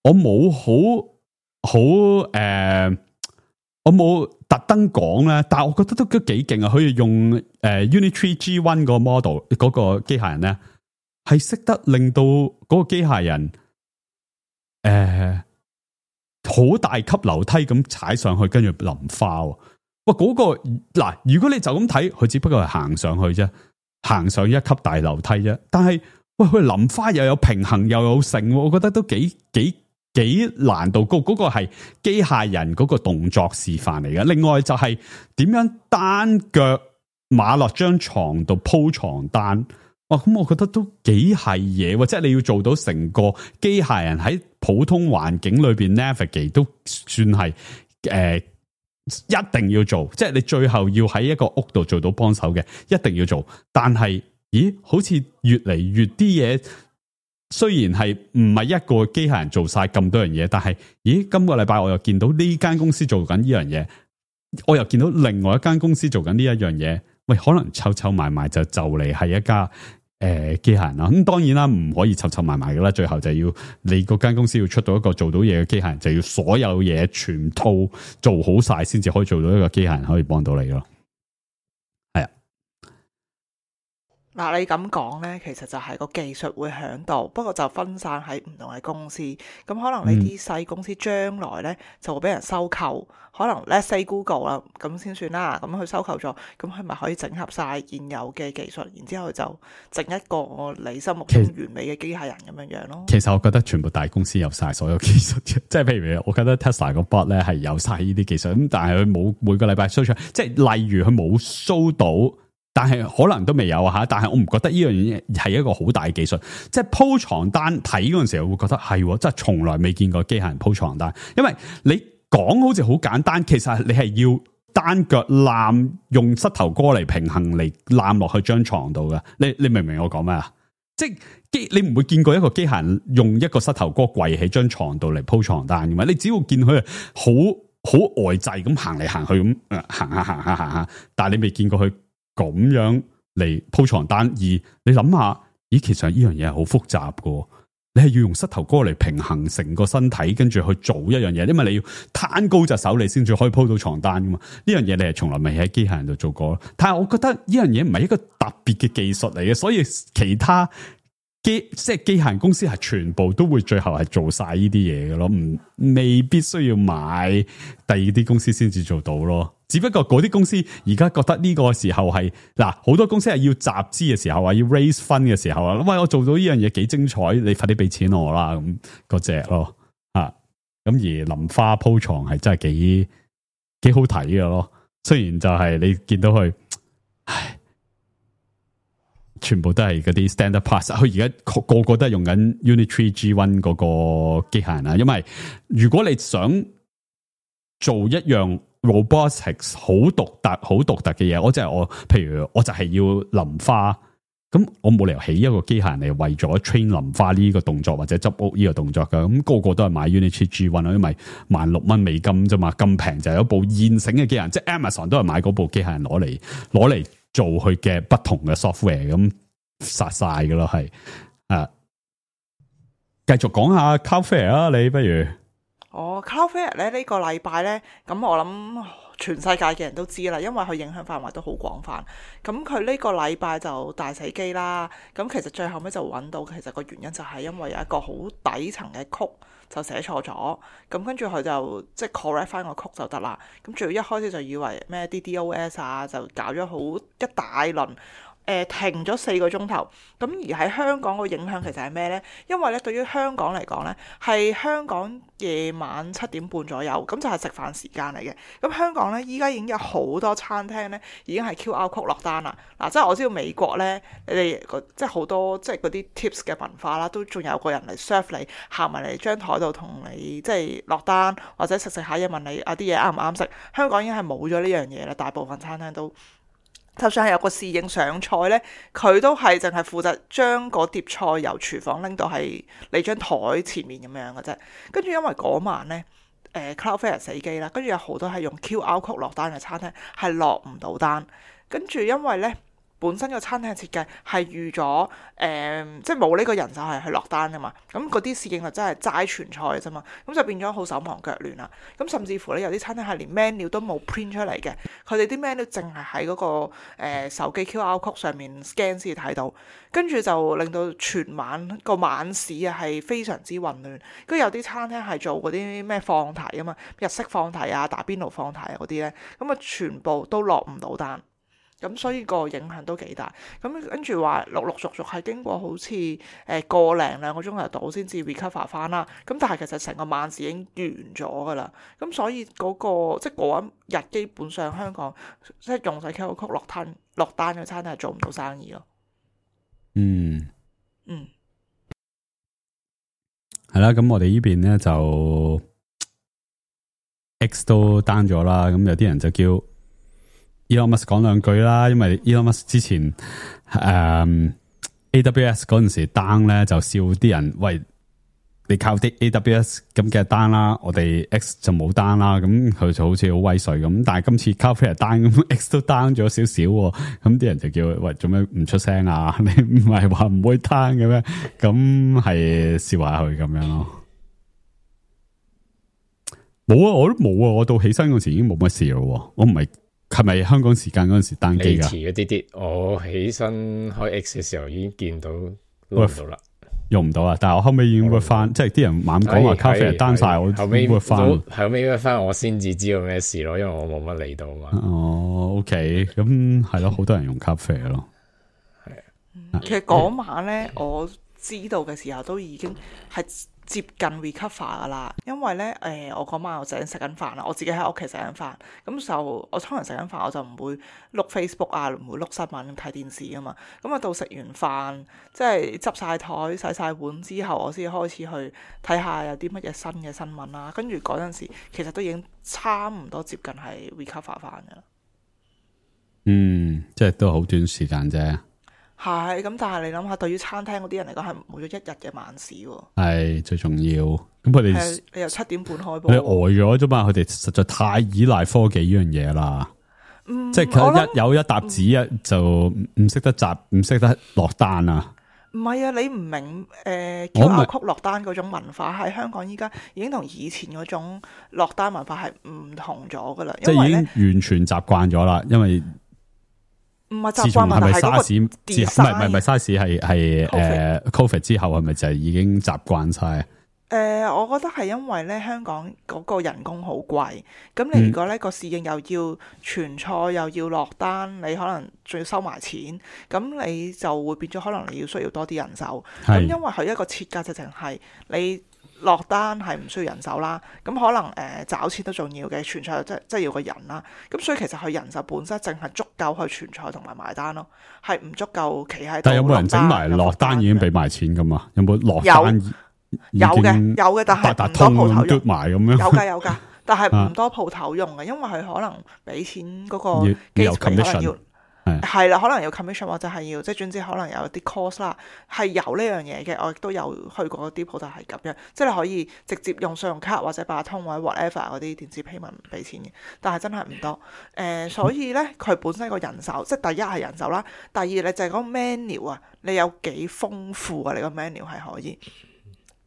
我冇我冇特登講咧，但係我覺得都幾勁啊！可以用Unitree G1 個 model 嗰個機械人咧。係識得令到嗰個機械人，好大級樓梯咁踩上去，跟住淋花。哇！嗰個嗱，如果你就咁睇，佢只不過係行上去啫，行上一級大樓梯啫。但係喂，佢淋花又有平衡又有成，我覺得都幾難度高。嗰個係機械人嗰個動作示範嚟嘅。另外就係點樣單腳馬落張床度鋪床單。咁我覺得都幾係嘢，即係你要做到成個機械人喺普通環境裏邊 navigate 都算係一定要做，即係你最後要喺一個屋度做到幫手嘅，一定要做。但係，咦，好似越嚟越啲嘢，雖然係唔係一個機械人做晒咁多樣嘢，但係，咦，今個禮拜我又見到呢間公司做緊呢樣嘢，我又見到另外一間公司做緊呢一樣嘢。喂，可能湊埋埋就嚟係一家機械人啦。咁當然啦，唔可以湊埋埋噶啦，最後就要你嗰間公司要出到一個做到嘢嘅機械人，就要所有嘢全套做好晒，先至可以做到一個機械人可以幫到你咯。係啊。嗱，你咁講呢，其實就係個技術會響度，不過就分散喺唔同嘅公司。咁可能呢啲細公司將來呢就會俾人收購，可能 let's say Google 啦，咁先算啦。咁佢收購咗，咁佢咪可以整合晒現有嘅技術，然之後就整一個你心目中完美嘅機械人咁樣樣咯。其實我覺得全部大公司有晒所有技術嘅，即係譬如我覺得 Tesla 個 bot 咧係有晒呢啲技術，咁但係佢冇每個禮拜 show 出，即係例如佢冇 show 到。但係可能都未有吓，但係我唔覺得呢樣嘢係一個好大嘅技術。即係鋪床單睇嗰陣時候，我會覺得係，即係從來未見過機械人鋪床單。因為你講好似好簡單，其實你係要單腳攬，用膝頭哥嚟平衡嚟攬落去張床度㗎。你明唔明我講咩啊？即係你唔會見過一個機械人用一個膝頭哥跪喺張床度嚟鋪床單嘅嘛？你只要見佢好呆滯咁行嚟行去咁行下，但係你未見過佢咁樣嚟鋪床單，而你諗下，咦，其實呢樣嘢係好複雜噶，你係要用膝頭哥嚟平衡成個身體，跟住去做一樣嘢，因為你要攤高隻手，你先至可以鋪到床單噶嘛。呢樣嘢你係從來未喺機械人度做過，但係我覺得呢樣嘢唔係一個特別嘅技術嚟嘅，所以其他即係機械人公司係全部都會最後係做晒呢啲嘢嘅咯，未必需要買第二啲公司先至做到咯。只不過嗰啲公司而家覺得呢個時候係嗱，好多公司係要集資嘅時候啊，要 raise fund 嘅時候啊，喂，我做到呢樣嘢幾精彩，你快啲俾錢我啦，咁嗰隻咯啊。咁而淋花鋪床係真係幾好睇嘅咯，雖然就係你見到佢，唉，全部都係嗰啲 standard parts， 佢而家個個都係用緊 Unit 3 G1 嗰個機械人啊。因為如果你想做一樣robotics 好獨特嘅嘢，譬如我就係要淋花，咁我冇理由起一個機械人嚟為咗 train 淋花呢個動作或者執屋呢個動作噶，咁個個都係買 Unity G1 因為$16美金啫嘛，咁平就有一部現成嘅機械人，即係 Amazon 都係買嗰部機械人攞嚟做佢嘅不同嘅 software， 咁殺晒噶咯，係啊，繼續講下 Cloudflare 啊，你不如。Cloudflare 咧呢個禮拜咧，咁我諗全世界嘅人都知啦，因為佢影響範圍都好廣泛。咁佢呢個禮拜就大死機啦。咁其實最後尾就揾到，其實個原因就係因為有一個好底層嘅曲就寫錯咗。咁跟住佢就即係 correct 翻個曲就得啦。咁仲要一開始就以為咩 DDoS 啊，就搞咗好一大輪。停咗4個鐘頭，咁而喺香港個影響其實係咩呢？因為咧對於香港嚟講呢，係香港夜晚7點半左右，咁就係食飯時間嚟嘅。咁香港呢，依家已經有好多餐廳呢已經係 QR code 落單啦。嗱，即係我知道美國呢，你哋即係好多即係嗰啲 tips 嘅文化啦，都仲有個人嚟 serve 你，行埋嚟張台度同你即係落單，或者食下嘢問你啲嘢啱唔啱食。香港已經係冇咗呢樣嘢啦，大部分餐廳都。就算係有個侍應上菜呢，佢都係淨係負責將嗰碟菜由廚房拎到係你張台前面咁樣嘅啫。跟住因為嗰晚呢，Cloudflare 死機啦，跟住有好多係用 QR code 落單嘅餐廳係落唔到單。跟住因為呢，本身個餐廳嘅設計係預咗即係冇呢個人手係去落單噶嘛，咁嗰啲侍應就真係齋傳菜啫嘛，咁就變咗好手忙腳亂啦。咁甚至乎咧有啲餐廳係連 menu 都冇 print 出嚟嘅，佢哋啲 menu 淨係喺嗰個手機 QR code 上面 scan 先睇到，跟住就令到全晚個晚市啊係非常之混亂。跟住有啲餐廳係做嗰啲咩放題啊嘛，日式放題啊、打邊爐放題啊嗰啲咧，咁啊全部都落唔到單。咁所以個影響都幾大，咁跟住話陸續係經過好似個零兩個鐘頭到先至 recover 翻啦，咁但係其實成個晚市已經完咗噶啦，咁所以嗰個即係嗰一日基本上香港即係用晒 QR code 落單嘅餐廳係做唔到生意咯。係啦，咁我哋呢邊咧就 X 都 down 咗啦，咁有啲人就叫Elon Musk 講兩句啦，因為 Elon Musk 之前AWS 嗰陣時 down 咧就笑啲人，喂你靠啲 AWS 咁嘅單啦，我哋 X 就冇單啦，咁佢就好似好威水咁。但係今次 Cloudflare 單咁 X 都 down 咗少少，咁啲人就叫喂做咩唔出聲啊？你唔係話唔會單嘅咩？咁係笑下佢咁樣咯。冇啊，我都冇啊，我到起身嗰時已經冇乜事咯。我唔係咪香港時間嗰陣時單機噶？遲咗啲啲，我起身開 X 嘅時候已經見到攞唔到啦。用唔到啊！但係我後尾已經 work 翻，即係啲人猛講話 Cloudflare 單晒，我後尾 work 翻，後尾 work 翻，我先至知道咩事咯，因為我冇乜理到嘛。哦，OK，咁係咯，好多人用 Cloudflare 咯。係其實嗰晚咧，我知道嘅時候都已經係接近 recover 噶啦，因為咧我嗰晚我就食緊飯啦，我自己喺屋企食緊飯，咁就我通常食緊飯我就唔會碌 Facebook 啊，唔會碌新聞睇電視啊嘛，咁啊到食完飯即係執晒枱洗晒碗之後，我先開始去睇下有啲乜嘢新嘅新聞啦，跟住嗰陣時其實都已經差唔多接近係 recover 翻噶啦。即係都好短時間啫。係咁，但係你諗下，對於餐廳嗰啲人嚟講，係冇咗一日嘅晚市喎。係最重要。咁佢哋你由7點半開佢波，呆咗啫嘛。佢哋實在太依賴科技呢樣嘢啦。即係佢有一沓紙就唔識得集，唔識得落單啊。唔係啊，你唔明QR code 落單嗰種文化喺香港依家已經同以前嗰種落單文化係唔同咗噶啦。即係已經完全習慣咗啦，因為。唔係習慣問題，係嗰個 design 唔係沙士係COVID 之後係咪就係已經習慣晒？我覺得係因為咧香港嗰個人工好貴，咁你如果呢個侍應又要傳菜又要落單，你可能仲要收埋錢，咁你就會變咗可能你要需要多啲人手。咁因為佢一個設計就淨係你落單係唔需要人手啦，咁可能找錢都重要嘅，傳菜即係要個人啦。咁所以其實佢人手本身淨係足夠去傳菜同埋埋單咯，係唔足夠企喺度。但係有冇人整埋落單已經俾埋錢噶嘛？有冇落單？有嘅，但係唔多鋪頭用埋咁樣。有㗎，但係唔多鋪頭用嘅，因為佢可能俾錢嗰個機可能要係啦，可能要 commission 或者係要即係總之可能有啲 cost 啦，係有呢樣嘢嘅。我亦都有去過啲鋪頭係咁樣，即係你可以直接用信用卡或者八達通或者 whatever 嗰啲電子 payment 俾錢嘅，但係真係唔多。所以咧佢本身個人手，即係第一係人手啦，第二你就係嗰個 menu 啊，你有幾豐富啊？你個 menu 係可以。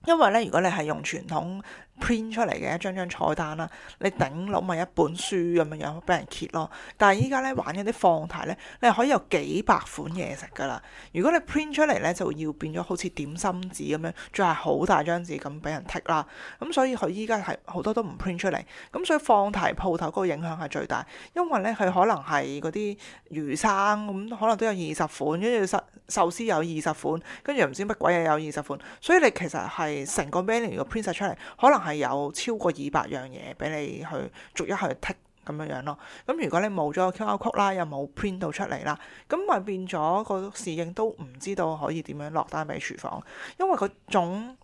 因為咧，如果你係用傳統 print 出嚟嘅一張菜單啦，你頂籠咪一本書咁樣俾人揭咯。但係依家咧玩嗰啲放題咧，你係可以有幾百款嘢食噶啦。如果你 print 出嚟咧，就要變咗好似點心紙咁樣，仲係好大張紙咁俾人剔啦。咁所以佢依家係好多都唔 print 出嚟。咁所以放題鋪頭嗰個影響係最大，因為咧佢可能係嗰啲魚生咁，可能都有20款，跟住壽司有20款，跟住唔知乜鬼嘢有20款，所以你其實係成個 menu 個 print 晒出嚟，可能係有超過200樣嘢俾你去逐一去剔咁樣咯。咁如果你冇咗個 QR code 啦，又冇 print 到出嚟啦，咁咪變咗個侍應都唔知道可以點樣落單俾廚房，因為嗰種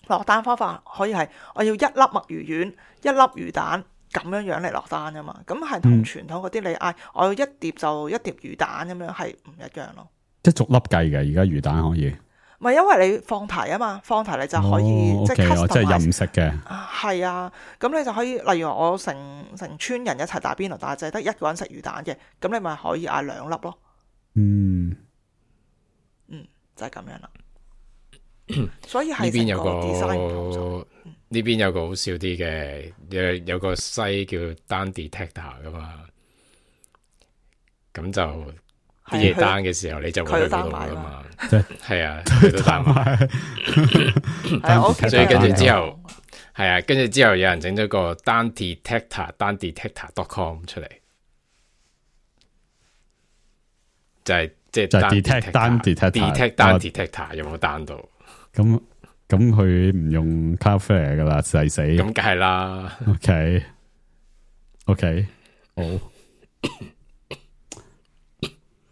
落單方法可以係我要1粒墨魚丸、1粒魚蛋咁樣嚟落單噶嘛。咁係同傳統嗰啲你嗌我要一碟就一碟魚蛋咁樣係唔一樣咯。即係逐粒計嘅，而家魚蛋可以。唔係因為你放題啊嘛，放題你就可以、即係 customize 即係任食嘅。係啊，咁你就可以，例如我成村人一齊打邊爐，但係就係得一個人食魚蛋嘅，咁你咪可以嗌2粒咯。就係咁樣啦。所以係呢邊有個 design 呢邊有個好笑啲嘅，有個西叫單 detector 噶嘛，咁就啲嘢單嘅時候你就會去嗰度噶嘛，係啊，佢都單埋，所以跟住之後係啊，跟住之後有人整咗個單 detector.com 出嚟，就係即係單 detector 有冇單到？咁佢唔用 Cloudflare 噶啦，細死。咁梗係啦。OK， 好。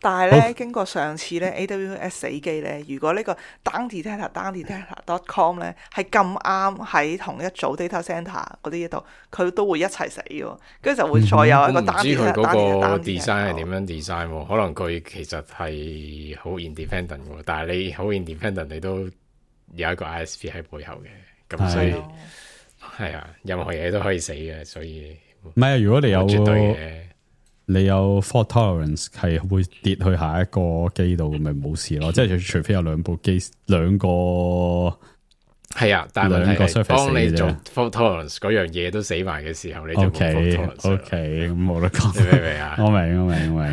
但係咧，經過上次咧 AWS 死機咧，如果呢個 down detector.com 咧係咁啱喺同一組 data center 嗰啲嘢度，佢都會一齊死嘅，跟住就會再有一個 down detector。唔知佢嗰個 design 係點樣 design 喎？可能佢其實係好 independent 嘅，但係你好 independent， 你都有一個 ISP 喺背後嘅，咁所以係啊，任何嘢都可以死嘅，所以唔係啊。如果你有絕對嘅，你有 fault tolerance 係會跌去下一個機度，咁咪冇事咯。即係除非有兩個係啊，但係兩個係 surface 當你做死啫 fault tolerance 嗰樣嘢都死埋嘅時候，你就冇 fault OK tolerance OK， 咁冇得講。你明唔明啊？我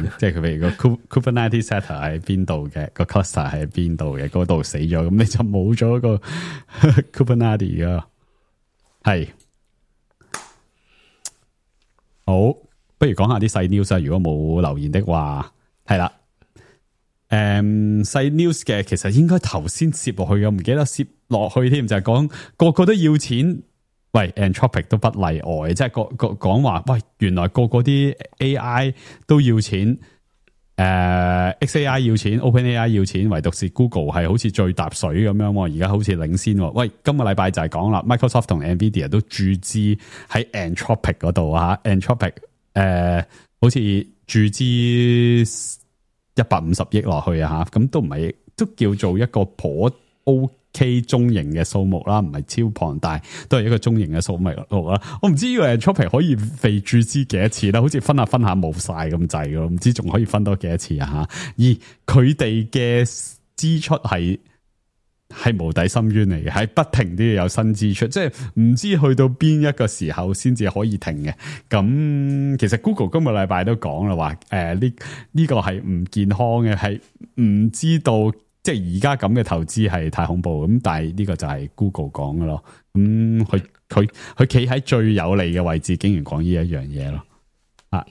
明，即係佢譬如個 Kubernetes setter 喺邊度嘅，個 cluster 喺邊度嘅，嗰度死咗，咁你就冇咗個 Kubernetes 噶。係好，不如講下啲細 news 啊。如果冇留言的話，係啦。細 news 嘅其實應該頭先攝落去嘅，唔記得攝落去添，就係講個個都要錢。喂 ，Anthropic 都不例外，即係講話，喂，原來個啲 AI 都要錢，XAI 要錢 ，OpenAI 要錢，唯獨是 Google 係好似最搭水咁樣，而家好似領先。喂，今個禮拜就係講啦 ，Microsoft 同 Nvidia 都注資喺 Anthropic 嗰度啊 ，Anthropic 好似注資150億落去啊，咁都唔係，都叫做一個頗 OK 中型嘅數目啦，唔係超龐大，都係一個中型嘅數目啦。我唔知呢個 Anthropic 可以被注資幾多次啦，好似分下冇晒咁滯咯，唔知仲可以分多幾多次啊吓。而佢哋嘅支出係無底深淵嚟嘅，係不停都要有新支出，即係唔知去到邊一個時候先至可以停嘅。咁其實 Google 今個禮拜都講啦，話呢個係唔健康嘅，係唔知道。即係而家咁嘅投資係太恐怖咁，但係呢個就係 Google 講嘅咯。咁佢企喺最有利嘅位置，竟然講呢一樣嘢咯。啊，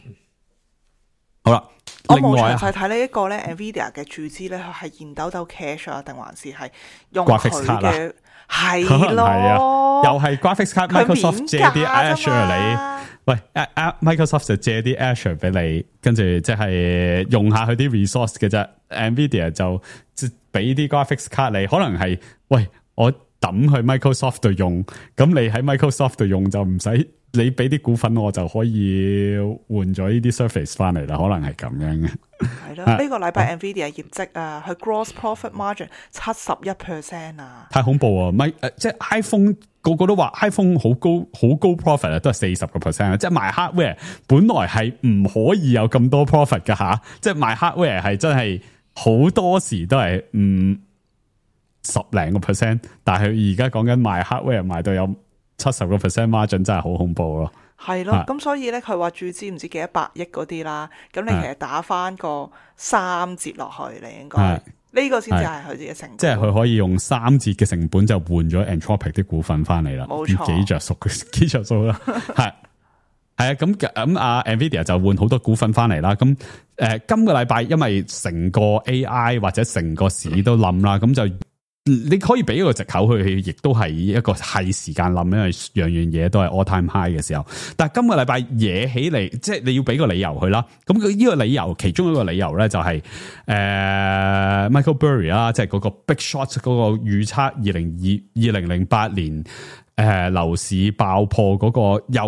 好啦，我另外冇詳細睇呢一個咧 Nvidia 嘅注資咧，佢係現兜兜 cash 啊，定還是係用佢 graphics card 嘅係係咯，啊，又係 graphics card 佢 Microsoft 借啲 Azure 你。喂 ，Microsoft 就借啲 Azure 俾你，跟住即係用下佢啲 resource 嘅啫。Nvidia 就即係俾啲 graphics card 你，可能係喂我抌去 Microsoft 度用，咁你喺 Microsoft 度用就唔使你俾啲股份我就可以換咗呢啲 Surface 翻嚟啦，可能係咁樣嘅。係咯，呢個禮拜 Nvidia 業績啊，佢 gross profit margin 71% 啊，太恐怖啊！即係 iPhone 個個都話 iPhone 好高 profit 啊，都係40%啊！即係賣 hardware 本來係唔可以有咁多 profit 噶吓，即係賣 hardware 係真係好多時都係10零個 percent， 但係佢而家講緊賣 hardware 賣到有70% margin， 真係好恐怖咯。係咯，咁所以咧佢話注資唔知幾多百億嗰啲啦，咁你其實打翻個3折落去，你應該呢個先至係佢自己成本，即係佢可以用3折嘅成本就換咗 Anthropic 啲股份翻嚟啦，冇錯，幾着數啦，係啊，咁阿 Nvidia 就換好多股份翻嚟啦，咁今個禮拜因為成個 AI 或者成個市都冧啦，咁就。你可以俾一個藉口去，亦都係一個係時間冧，因為樣樣嘢都係 all time high 嘅時候。但係今個禮拜惹起嚟，即係你要俾個理由去啦。咁佢呢個理由，其中一個理由咧就係Michael Burry 啦，即係嗰個 Big Short 嗰個預測2008年樓市爆破嗰個又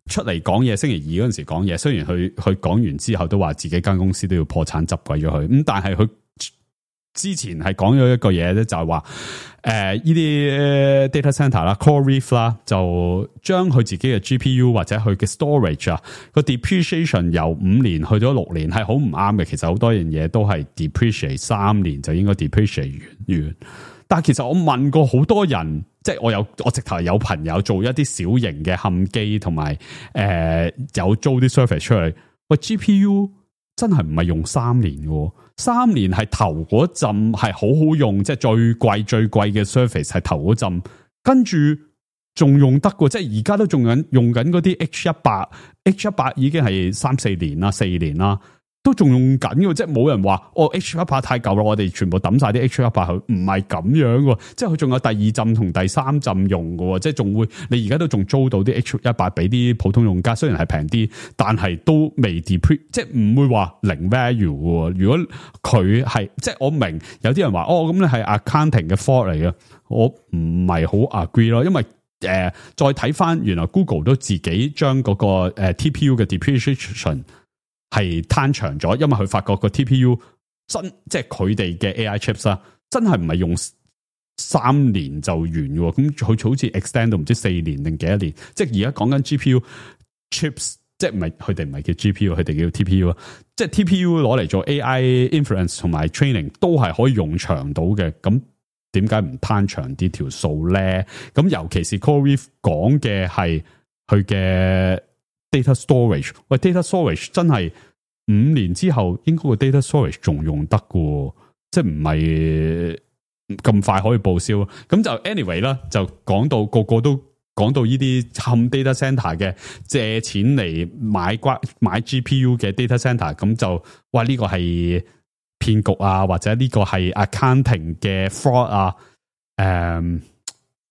出嚟講嘢，星期二嗰陣時講嘢。雖然佢講完之後都話自己間公司都要破產執鬼咗佢，咁但係佢。之前係講咗一個嘢咧，就係話呢啲 data center 啦 ，CoreWeave 啦，就將佢自己嘅 GPU 或者佢嘅 storage 啊個 depreciation 由5年去咗6年係好唔啱嘅。其實好多樣嘢都係 depreciate 3年就應該 depreciate 完。但係其實我問過好多人，即係我直頭有朋友做一啲小型嘅冚機，同埋有租啲 service 出嚟。喂 GPU 真係唔係用3年嘅。3年係頭嗰陣係好好用，即係最貴嘅 service 係頭嗰陣，跟住仲用得過，即係而家都仲用緊嗰啲 H100 已經係3-4年啦，4年啦，都仲用緊嘅，即係冇人話H100 太舊啦，我哋全部抌晒啲 H100 去，唔係咁樣嘅，即係佢仲有第2陣同第3陣用嘅，即係仲會你而家都仲租到啲 H100 俾啲普通用家，雖然係平啲，但係都未 depreciate，即係唔會話零 value 嘅。如果佢係即係我明有啲人話咁你係 accounting 嘅 fault 嚟嘅，我唔係好 agree 咯，因為再睇翻原來 Google 都自己將嗰個TPU 嘅 depreciation 係攤長咗，因為佢發覺個 TPU 即係佢哋嘅 AI chips 啦，真係唔係用3年就完喎，咁佢好似 extend 到唔知4年定幾多年，即係而家講緊 GPU chips， 即係唔係佢哋唔係叫 GPU， 佢哋叫 TPU 啊，即係 TPU 攞嚟做 AI inference 同埋 training 都係可以用長到嘅，咁點解唔攤長啲條數咧？咁尤其是 CoreWeave 講嘅係佢嘅 data storage， 喂 data storage 真係5年之後應該個 data storage 仲用得嘅，即係唔係咁快可以報銷。咁就 anyway 啦，就講到個個都講到呢啲冚 data center 嘅借錢嚟買 GPU 嘅 data center， 咁就哇呢個係騙局啊，或者呢個係 accounting 嘅 fraud 啊，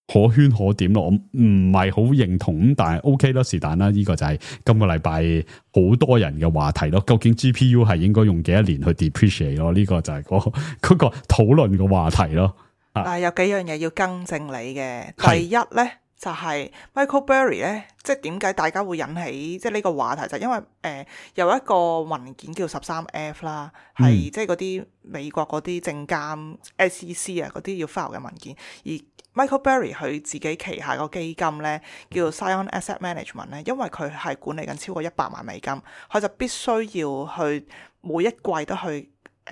可圈可點咯，我唔係好認同咁，但係 OK 啦，是但啦，呢個就係今個禮拜好多人嘅話題咯。究竟 GPU 係應該用幾多年去 depreciate 咯？呢個就係嗰個討論嘅話題咯。但係有幾樣嘢要更正你嘅，第一咧就係 Michael Burry 咧，即係點解大家會引起即係呢個話題，就係因為有一個文件叫 13F 啦，係即係嗰啲美國嗰啲證監 SEC 啊嗰啲要 file 嘅文件，而Michael Burry 佢自己旗下個基金咧叫 Zion Asset Management 咧，因為佢係管理緊超過100萬美金，佢就必須要去每一季都去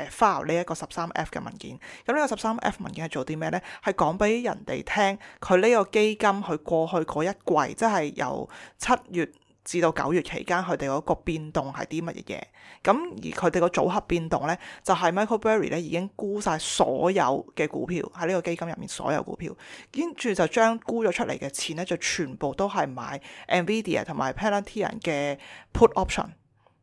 file 呢一個 13F 嘅文件。咁呢個 13F 文件係做啲咩咧？係講俾人哋聽佢呢個基金佢過去嗰一季，即係由7月至到9月期間，佢哋嗰個變動係啲乜嘢嘢？咁而佢哋個組合變動咧，就係 Michael Burry 咧已經沽晒所有嘅股票喺呢個基金入面，所有股票，跟住就將沽咗出嚟嘅錢咧，就全部都係買 Nvidia 同埋 Palantir 嘅 put option。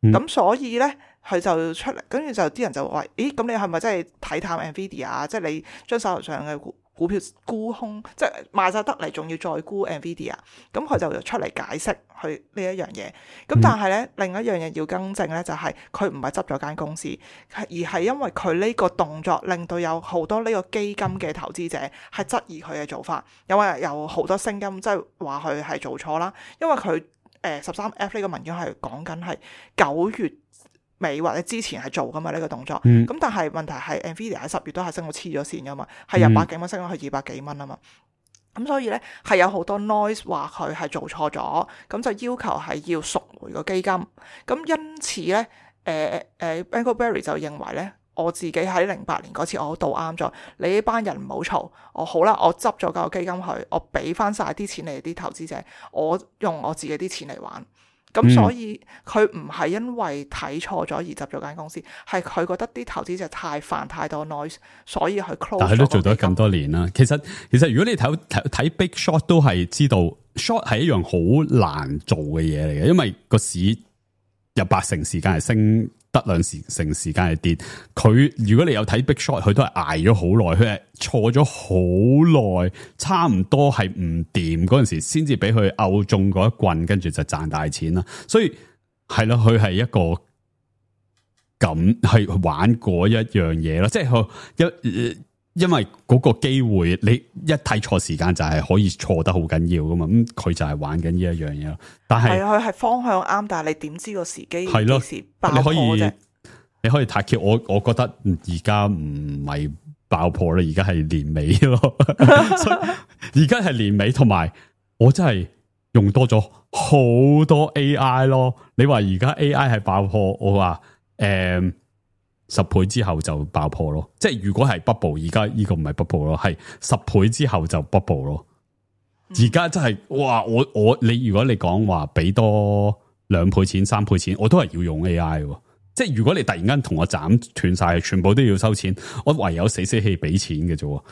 咁所以咧，佢就出嚟，跟住就啲人就話：咦，咁你係咪真係睇淡 Nvidia 啊？即係你將手頭上嘅股票沽空，即係賣晒得嚟，仲要再沽 Nvidia。咁佢就出嚟解釋佢呢一樣嘢。咁但係咧，另一樣嘢要更正咧，就係佢唔係執咗間公司，而係因為佢呢個動作令到有好多呢個基金嘅投資者係質疑佢嘅做法，因為有好多聲音即係話佢係做錯啦，因為佢。13F 呢個文件係講緊係9月尾或者之前係做噶嘛呢個動作，咁但係問題係 Nvidia 喺10月都係升到黐咗線噶嘛，係由100幾蚊升到去200幾蚊啊嘛，咁所以咧係有好多 noise 話佢係做錯咗，咁就要求係要贖回個基金，咁因此咧Michael Burry 就認為咧。我自己喺08年嗰次我都啱咗，你呢班人唔好嘈，我好啦，我執咗個基金去，我俾翻晒啲錢你啲投資者，我用我自己啲錢嚟玩，咁所以佢唔係因為睇錯咗而執咗間公司，係佢覺得啲投資者太煩太多 noise， 所以佢 close。但係都做咗咁多年啦，其實如果你睇 Big Short 都係知道 ，short 係一樣好難做嘅嘢嚟嘅，因為個市有80%時間係升。得2成時間係跌，佢如果你有睇 Big Short， 佢都係挨咗好耐，佢係錯咗好耐，差唔多係唔掂嗰陣時，先至俾佢拗中嗰一棍，跟住就賺大錢啦。所以係咯，佢係一個咁係玩過一樣嘢咯，即係因為嗰個機會，你一睇錯時間就係可以錯得好緊要噶嘛，咁佢就係玩緊呢一樣嘢咯。但係佢係方向啱，但係你點知個時機幾時爆破啫？你可以太橋，我覺得而家唔係爆破啦，而家係年尾咯。而家係年尾，同埋我真係用多咗好多 AI 咯。你話而家 AI 係爆破，我話10倍之後就爆破咯，即係如果係 bubble， 而家呢個唔係 bubble 咯，係10倍之後就 bubble 咯。而家真係哇，你如果你講話俾多2倍錢、3倍錢，我都係要用 AI 喎。即係如果你突然間同我斬斷晒，全部都要收錢，我唯有死氣俾錢嘅啫。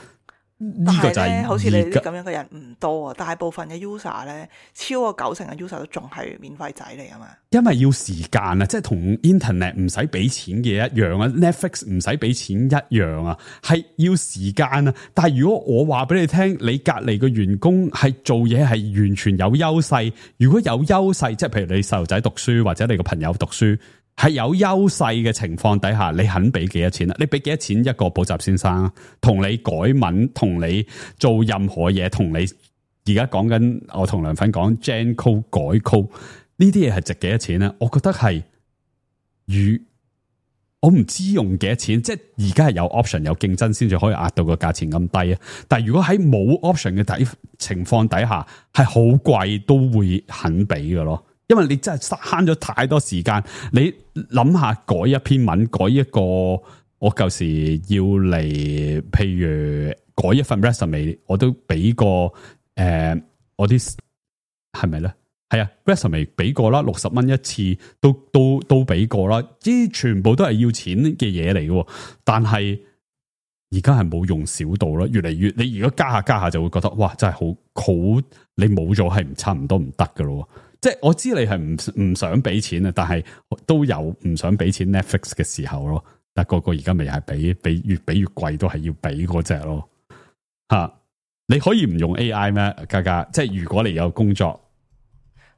呢個就係好似你啲咁樣嘅人唔多啊，大部分嘅 user 咧，超過90%嘅 user 都仲係免費仔嚟噶嘛。因為要時間啊，即係同 internet 唔使俾錢嘅一樣啊 ，Netflix 唔使俾錢一樣啊，係要時間啊。但係如果我話俾你聽，你隔籬嘅員工係做嘢係完全有優勢，如果有優勢，即係譬如你細路仔讀書或者你個朋友讀書。係有優勢嘅情況底下，你肯俾幾多錢啊？你俾幾多錢一個補習先生，同你改文，同你做任何嘢，同你而家講緊，我同梁粉講 Gen Code 改 code 呢啲嘢係值幾多錢咧？我覺得係我唔知用幾多錢，即係而家係有 option 有競爭先至可以壓到個價錢咁低啊！但係如果喺冇 option 嘅情況底下，係好貴都會肯俾嘅咯，因為你真係慳咗太多時間。你諗下改一篇文，改一個我舊時要嚟，譬如改一份 resume， 我都俾過我啲係咪咧？係啊 ，resume 俾過啦，60蚊一次，都俾過啦，啲全部都係要錢嘅嘢嚟嘅。但係而家係冇用少到啦，越嚟越你如果加下就會覺得哇，真係好，你冇咗係差唔多唔得噶咯。即係我知你係唔想俾錢啊，但係都有唔想俾錢 Netflix 嘅時候咯。但係個而家咪係俾越俾越貴，都係要俾嗰隻咯。吓，你可以唔用 AI 咩？嘉嘉，即係如果你有工作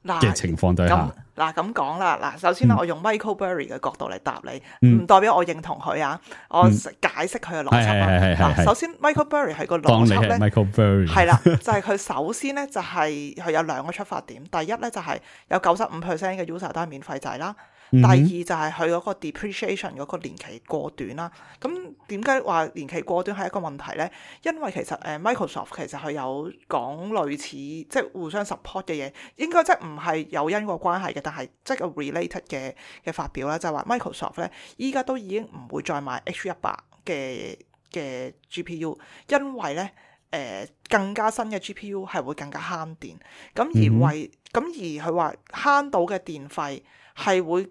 嘅情況底下，嗱咁講啦，嗱首先我用 Michael Burry 嘅角度嚟答你，唔代表我認同佢啊，我解釋佢嘅邏輯啦。首先 Michael Burry 係個邏輯咧， Michael Burry 係啦，就係佢首先咧就係佢有兩個出發點，第一咧就係有95% 嘅 user 都係免費制啦。第二就係佢嗰個 depreciation 嗰個年期過短啦。咁點解話年期過短係一個問題咧？因為其實Microsoft 其實佢有講類似即係互相 support 嘅嘢，應該即係唔係有因果關係嘅，但係即係個 related 嘅發表啦，就係話 Microsoft 咧依家都已經唔會再賣 H100 嘅 GPU， 因為咧更加新嘅 GPU 係會更加慳電，咁而佢話慳到嘅電費係會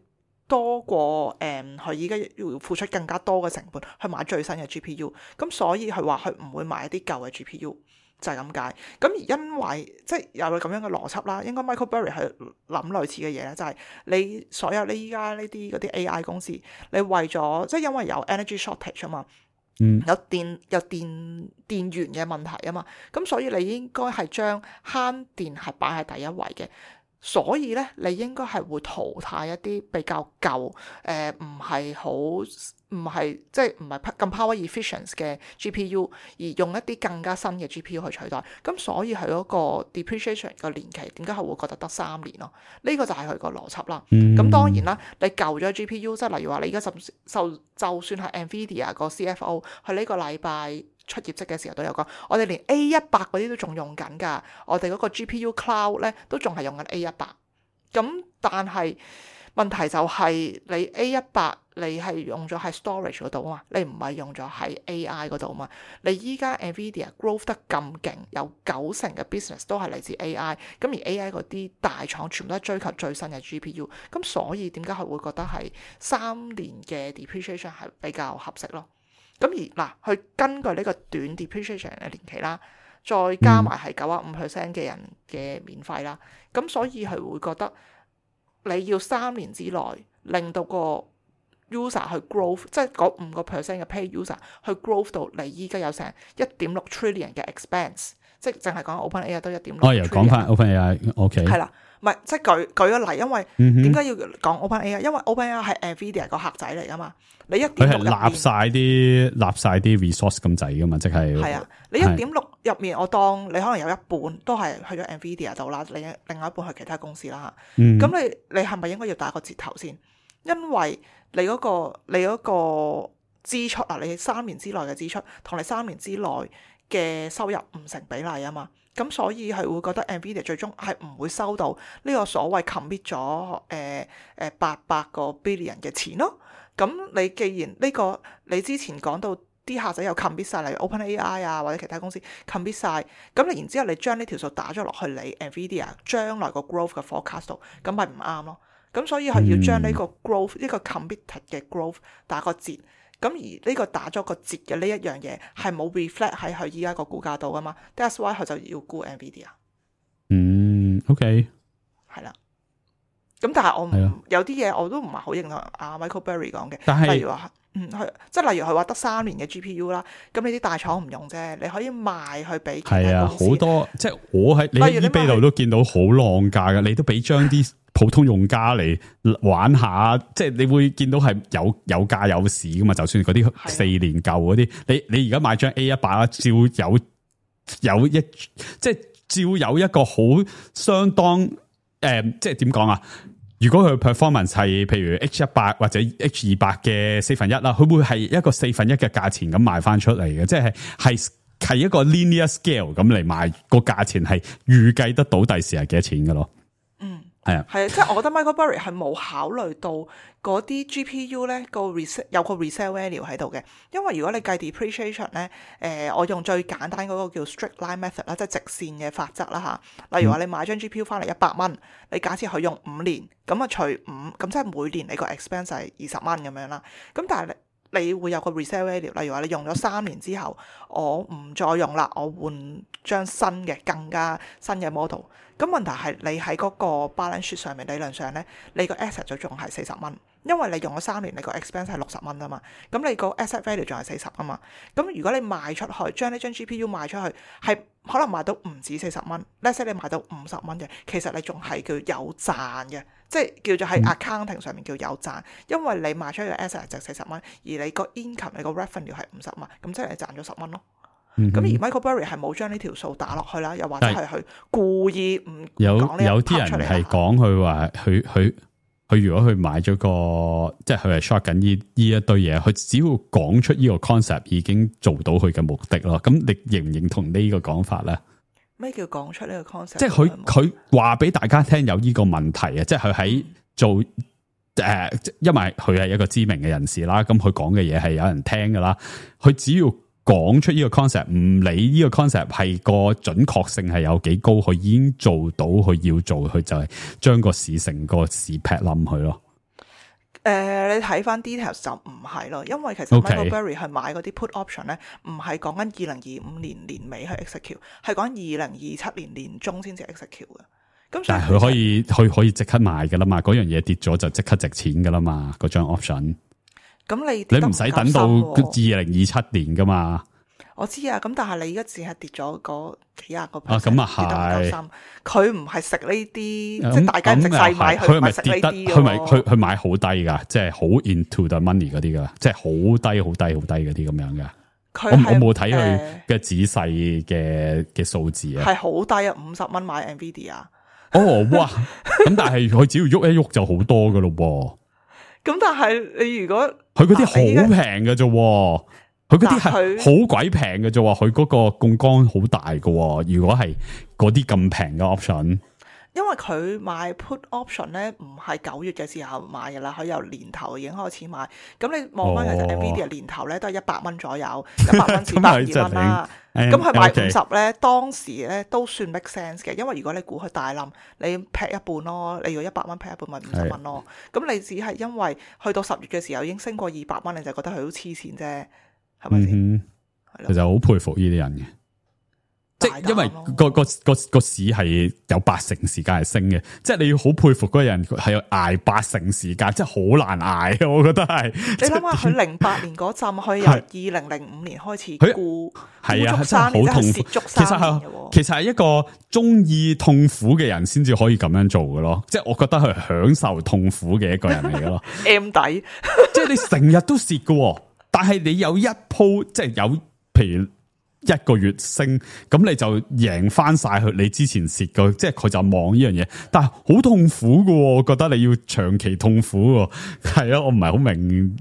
多過佢依家要付出更加多嘅成本去買最新嘅 GPU， 咁所以佢話佢唔會買一啲舊嘅 GPU， 就係咁解。咁而因為即係有咁樣嘅邏輯啦，應該 Michael Burry 係諗類似嘅嘢咧，就係你所有你依家呢啲嗰啲 AI 公司，你為咗即係因為有 energy shortage 啊嘛。有電源嘅問題啊嘛，咁所以你應該係將慳電係擺喺第一位嘅，所以咧你應該係會淘汰一啲比較舊唔係即係唔係咁 power efficient 嘅 GPU， 而用一啲更加新嘅 GPU 去取代，咁所以佢嗰個 depreciation 嘅年期點解係會覺得得3年咯？呢個就係佢個邏輯啦。咁當然啦，你舊咗 GPU， 即係例如話你而家就算係 Nvidia 個 CFO， 佢呢個禮拜出業績嘅時候都有講，我哋連 A100 嗰啲都仲用緊㗎，我哋嗰個 GPU Cloud 咧都仲係用緊 A100。咁但係問題就係你 A100 你係用咗喺 storage 嗰度啊嘛，你唔係用咗喺 AI 嗰度啊嘛。你依家 Nvidia growth 得咁勁，有90%嘅 business 都係嚟自 AI， 咁而 AI 嗰啲大廠全部都係追求最新嘅 GPU， 咁所以點解佢會覺得係3年嘅 depreciation 係比較合適咯？咁而嗱，佢根據呢個短 depreciation 嘅年期啦，再加埋係95% 嘅人嘅免費啦，咁所以佢會覺得你要3年之內令到個 user 去 growth， 即係嗰5% 嘅 pay user 去 growth 到你依家有成1.6 trillion 嘅 expense， 即係淨係講 OpenAI 都1.6 trillion。又講翻 OpenAI，OK。係啦，唔係即係舉個例，因為點解要講 OpenAI？ 因為 OpenAI 係 Nvidia 個客仔嚟噶嘛，你1.6佢係立晒啲 resource 咁滯噶嘛，即係係啊，你1.6入面，我當你可能有一半都係去咗 Nvidia 度啦，另外一半去其他公司啦嚇。咁你係咪應該要打個折頭先？因為你嗰個支出啊，你3年之內嘅支出同你3年之內嘅收入唔成比例啊嘛，咁所以係會覺得 Nvidia 最終係唔會收到呢個所謂 commit 咗800個 billion 嘅錢咯。咁你既然呢個你之前講到啲客仔有 commit 晒，例如 OpenAI 啊或者其他公司 commit 晒，咁你然之後你將呢條數打咗落去你 Nvidia 將來個 growth 嘅 forecast 度，咁咪唔啱咯。咁所以係要將呢個 growth 呢個 committed 嘅 growth 打個折，咁而呢個打咗個折嘅呢一樣嘢係冇 reflect 喺佢依家個股價度噶嘛 ，that's why 佢就要沽 Nvidia。OK， 係啦。咁但係我有啲嘢我都唔係好認同阿 Michael Burry 講嘅，但係例如話即係例如佢話得3年嘅 GPU 啦，咁你啲大廠唔用啫，你可以賣去俾其他公司。好多即係我喺你喺 eBay 度都見到好浪價嘅，你都俾張啲普通用家嚟玩下，即係你會見到係有價有市噶嘛。就算嗰啲4年舊嗰啲，你而家買張 A100 啦，照有一個好相當即係點講啊？如果佢 performance 係譬如 H100 或者 H200 嘅1/4啦，佢會係一個1/4嘅價錢咁賣翻出嚟嘅，即係一個 linear scale 咁嚟賣，個價錢係預計得到第時係幾多錢嘅咯。係啊，係啊，即係我覺得 Michael Burry 係冇考慮到嗰啲 GPU 咧有個 resale value 喺度嘅，因為如果你計 depreciation 咧，我用最簡單嗰個叫 straight line method 啦，即係直線嘅法則啦嚇。例如話你買張 GPU 翻嚟100蚊，你假設佢用5年，咁啊除5，咁即係每年你個 expense 係20蚊咁樣啦。咁但係你會有個 resale value，例如話你用咗3年之後，我唔再用啦，我換張新嘅更加新嘅 model。咁問題係你喺嗰個 balance sheet 上面，理論上咧，你個 asset 就仲係40蚊，因為你用咗3年，你個 expense 係60蚊啊嘛。咁你個 asset value 仲係40啊嘛。咁如果你賣出去，將呢張 GPU 賣出去，係可能賣到唔止40蚊，let's say 你賣到50蚊嘅，其實你仲係叫有賺嘅，即係叫做喺 accounting 上面叫有賺，因為你賣出去嘅 asset 係值40蚊，而你個 income 你個 revenue 係50蚊，咁即係你賺咗10蚊咯。咁而 Michael Burry 係冇將呢條數打落去啦，又或者係佢故意唔講呢一 part 出嚟。有啲人係講佢話佢如果佢買咗個，即係佢係 short 緊呢一堆嘢，佢只要講出呢個 concept 已經做到佢嘅目的咯。咁你認唔認同呢個講法咧？咩叫講出呢個 concept？ 即係佢話俾大家聽有呢個問題啊！即係佢喺做因為佢係一個知名嘅人士啦，咁佢講嘅嘢係有人聽噶啦，佢只要講出呢個 concept， 唔理呢個 concept 係個準確性係有幾高，佢已經做到佢要做，佢就係將個市成個市劈冧佢咯。你睇翻 details 就唔係咯，因為其實 Michael Burry 去買嗰啲 put option 咧，唔係講緊2025年年尾去 execute， 係講2027年年中先至 execute 嘅。咁但係佢可以即刻賣噶啦嘛，嗰樣嘢跌咗就即刻值錢噶啦嘛，嗰張 option。咁你唔使等到2027年噶嘛？我知啊，咁但係你而家只係跌咗嗰幾廿個 percent， 咁啊係，佢唔係食呢啲，即係大家值細買，佢唔係食呢啲。佢買好低噶，即係好 into the money 嗰啲噶，即係好低嗰啲咁樣噶。我冇睇佢嘅仔細嘅數字啊，係好低啊，50蚊買 Nvidia。哦哇，咁但係佢只要喐一喐就好多噶咯噃。咁但係你如果佢嗰啲好平嘅啫，佢嗰啲係好鬼平嘅啫，佢嗰個槓桿好大嘅。如果係嗰啲咁平嘅 option，因為佢買 put option 咧，唔係9月嘅時候買嘅啦，佢由年頭已經開始買。咁你望翻其實 Nvidia 年頭咧都係100蚊左右，100蚊至120蚊啦。咁佢買50咧，當時咧都算 make sense 嘅，因為如果你估佢大冧，你劈一半咯，你如果100蚊劈一半咪50蚊咯。咁你只係因為去到10月嘅時候已經升過200蚊，你就覺得佢好黐線啫，係咪先？其實好佩服呢啲人嘅。即係因為個市係有80%時間係升嘅，即係你要好佩服嗰個人係要挨80%時間，即係好難挨嘅。我覺得係你諗下，佢08年嗰陣，佢由2005年開始沽，係啊，真係好痛苦。其實係一個中意痛苦嘅人先至可以咁樣做嘅咯。即係我覺得佢享受痛苦嘅一個人嚟嘅咯。M 底，即係你成日都蝕嘅，但係你有一鋪，即係有譬如1個月升，咁你就贏翻晒佢你之前蝕嘅，即係佢就望呢樣嘢，但係好痛苦嘅，我覺得你要長期痛苦，係啊，我唔係好明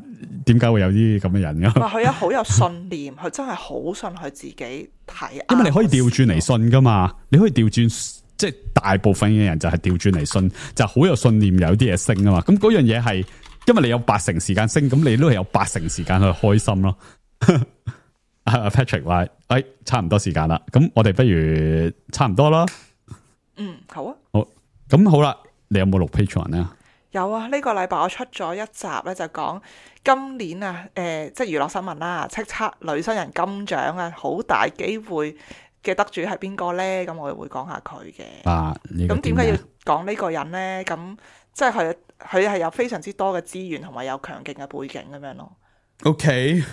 點解會有啲咁嘅人噶。佢好有信念，佢真係好信佢自己睇。因為你可以調轉嚟信噶嘛，你可以調轉，即係大部分嘅人就係調轉嚟信，就好有信念有啲嘢升啊嘛。咁嗰樣嘢係，因為你有80%時間升，咁你都係有80%時間去開心咯。Patrick 話：差唔多時間啦，咁我哋不如差唔多啦。好啊。好，咁好啦，你有冇錄 Patreon 咧？有啊，呢個禮拜我出咗一集咧，就講今年啊，即係娛樂新聞啦，叱咤女新人金獎啊，好大機會嘅得主係邊個咧？咁我哋會講下佢嘅。咁點解要講呢個人咧？咁即係佢係有非常之多嘅資源同埋有強勁嘅背景咁樣咯。OK，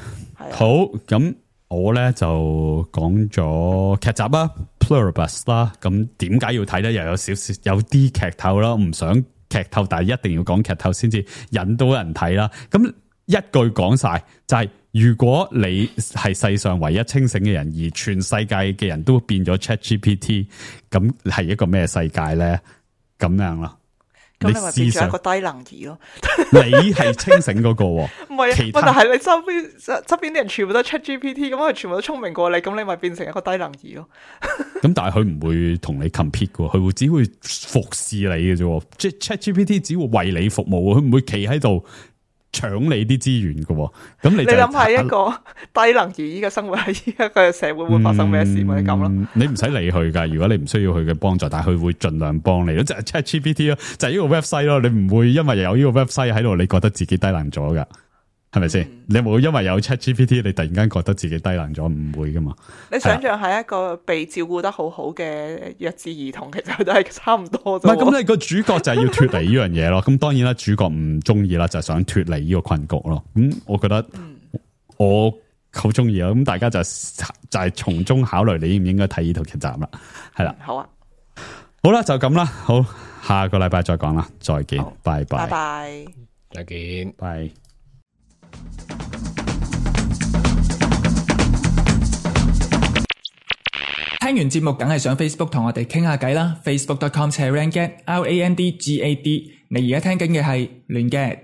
好，咁。我咧就講咗劇集啦 Pluribus 啦，咁點解要睇咧？又有少少有啲劇透啦，唔想劇透，但係一定要講劇透先至引到人睇啦。咁一句講晒就係，如果你係世上唯一清醒嘅人，而全世界嘅人都變咗 ChatGPT，咁係一個咩世界咧？咁樣咯。咁你咪變咗一個低能兒咯。你係清醒嗰個喎，唔係，其他但係你側邊啲人全部都 ChatGPT，咁佢全部都聰明過你，咁你咪變成一個低能兒咯。咁但係佢唔會同你 compete 嘅，佢會只會服侍你嘅啫。即係 ChatGPT 只會為你服務，佢唔會企喺度搶你啲資源嘅。咁你諗下一個低能兒依個生活喺依一個社會會發生咩事咪咁咯？你唔使理佢噶，如果你唔需要佢嘅幫助，但係佢會盡量幫你咯。就係 ChatGPT 咯，就係呢個 website 咯。你唔會因為有呢個 website 喺度，你覺得自己低能咗噶？係咪先？你有冇因為有 ChatGPT，你突然間覺得自己低能咗？唔會噶嘛？你想象係一個被照顧得好好嘅弱智兒童，其實都係差唔多。唔係咁，你個主角就係要脫離呢樣嘢咯。咁當然啦，主角唔中意啦，就係想脫離呢個困局咯。咁我覺得我好中意啊。咁大家就係從中考慮你應唔應該睇呢套劇集啦。係啦，好啊，好啦，就咁啦。好，下個禮拜再講啦。再見，拜拜，拜拜，再見，拜。聽完節目梗係上 Facebook 同我哋傾下偈啦，facebook.com/randgad，RANDGAD。你而家聽緊嘅係亂 gad。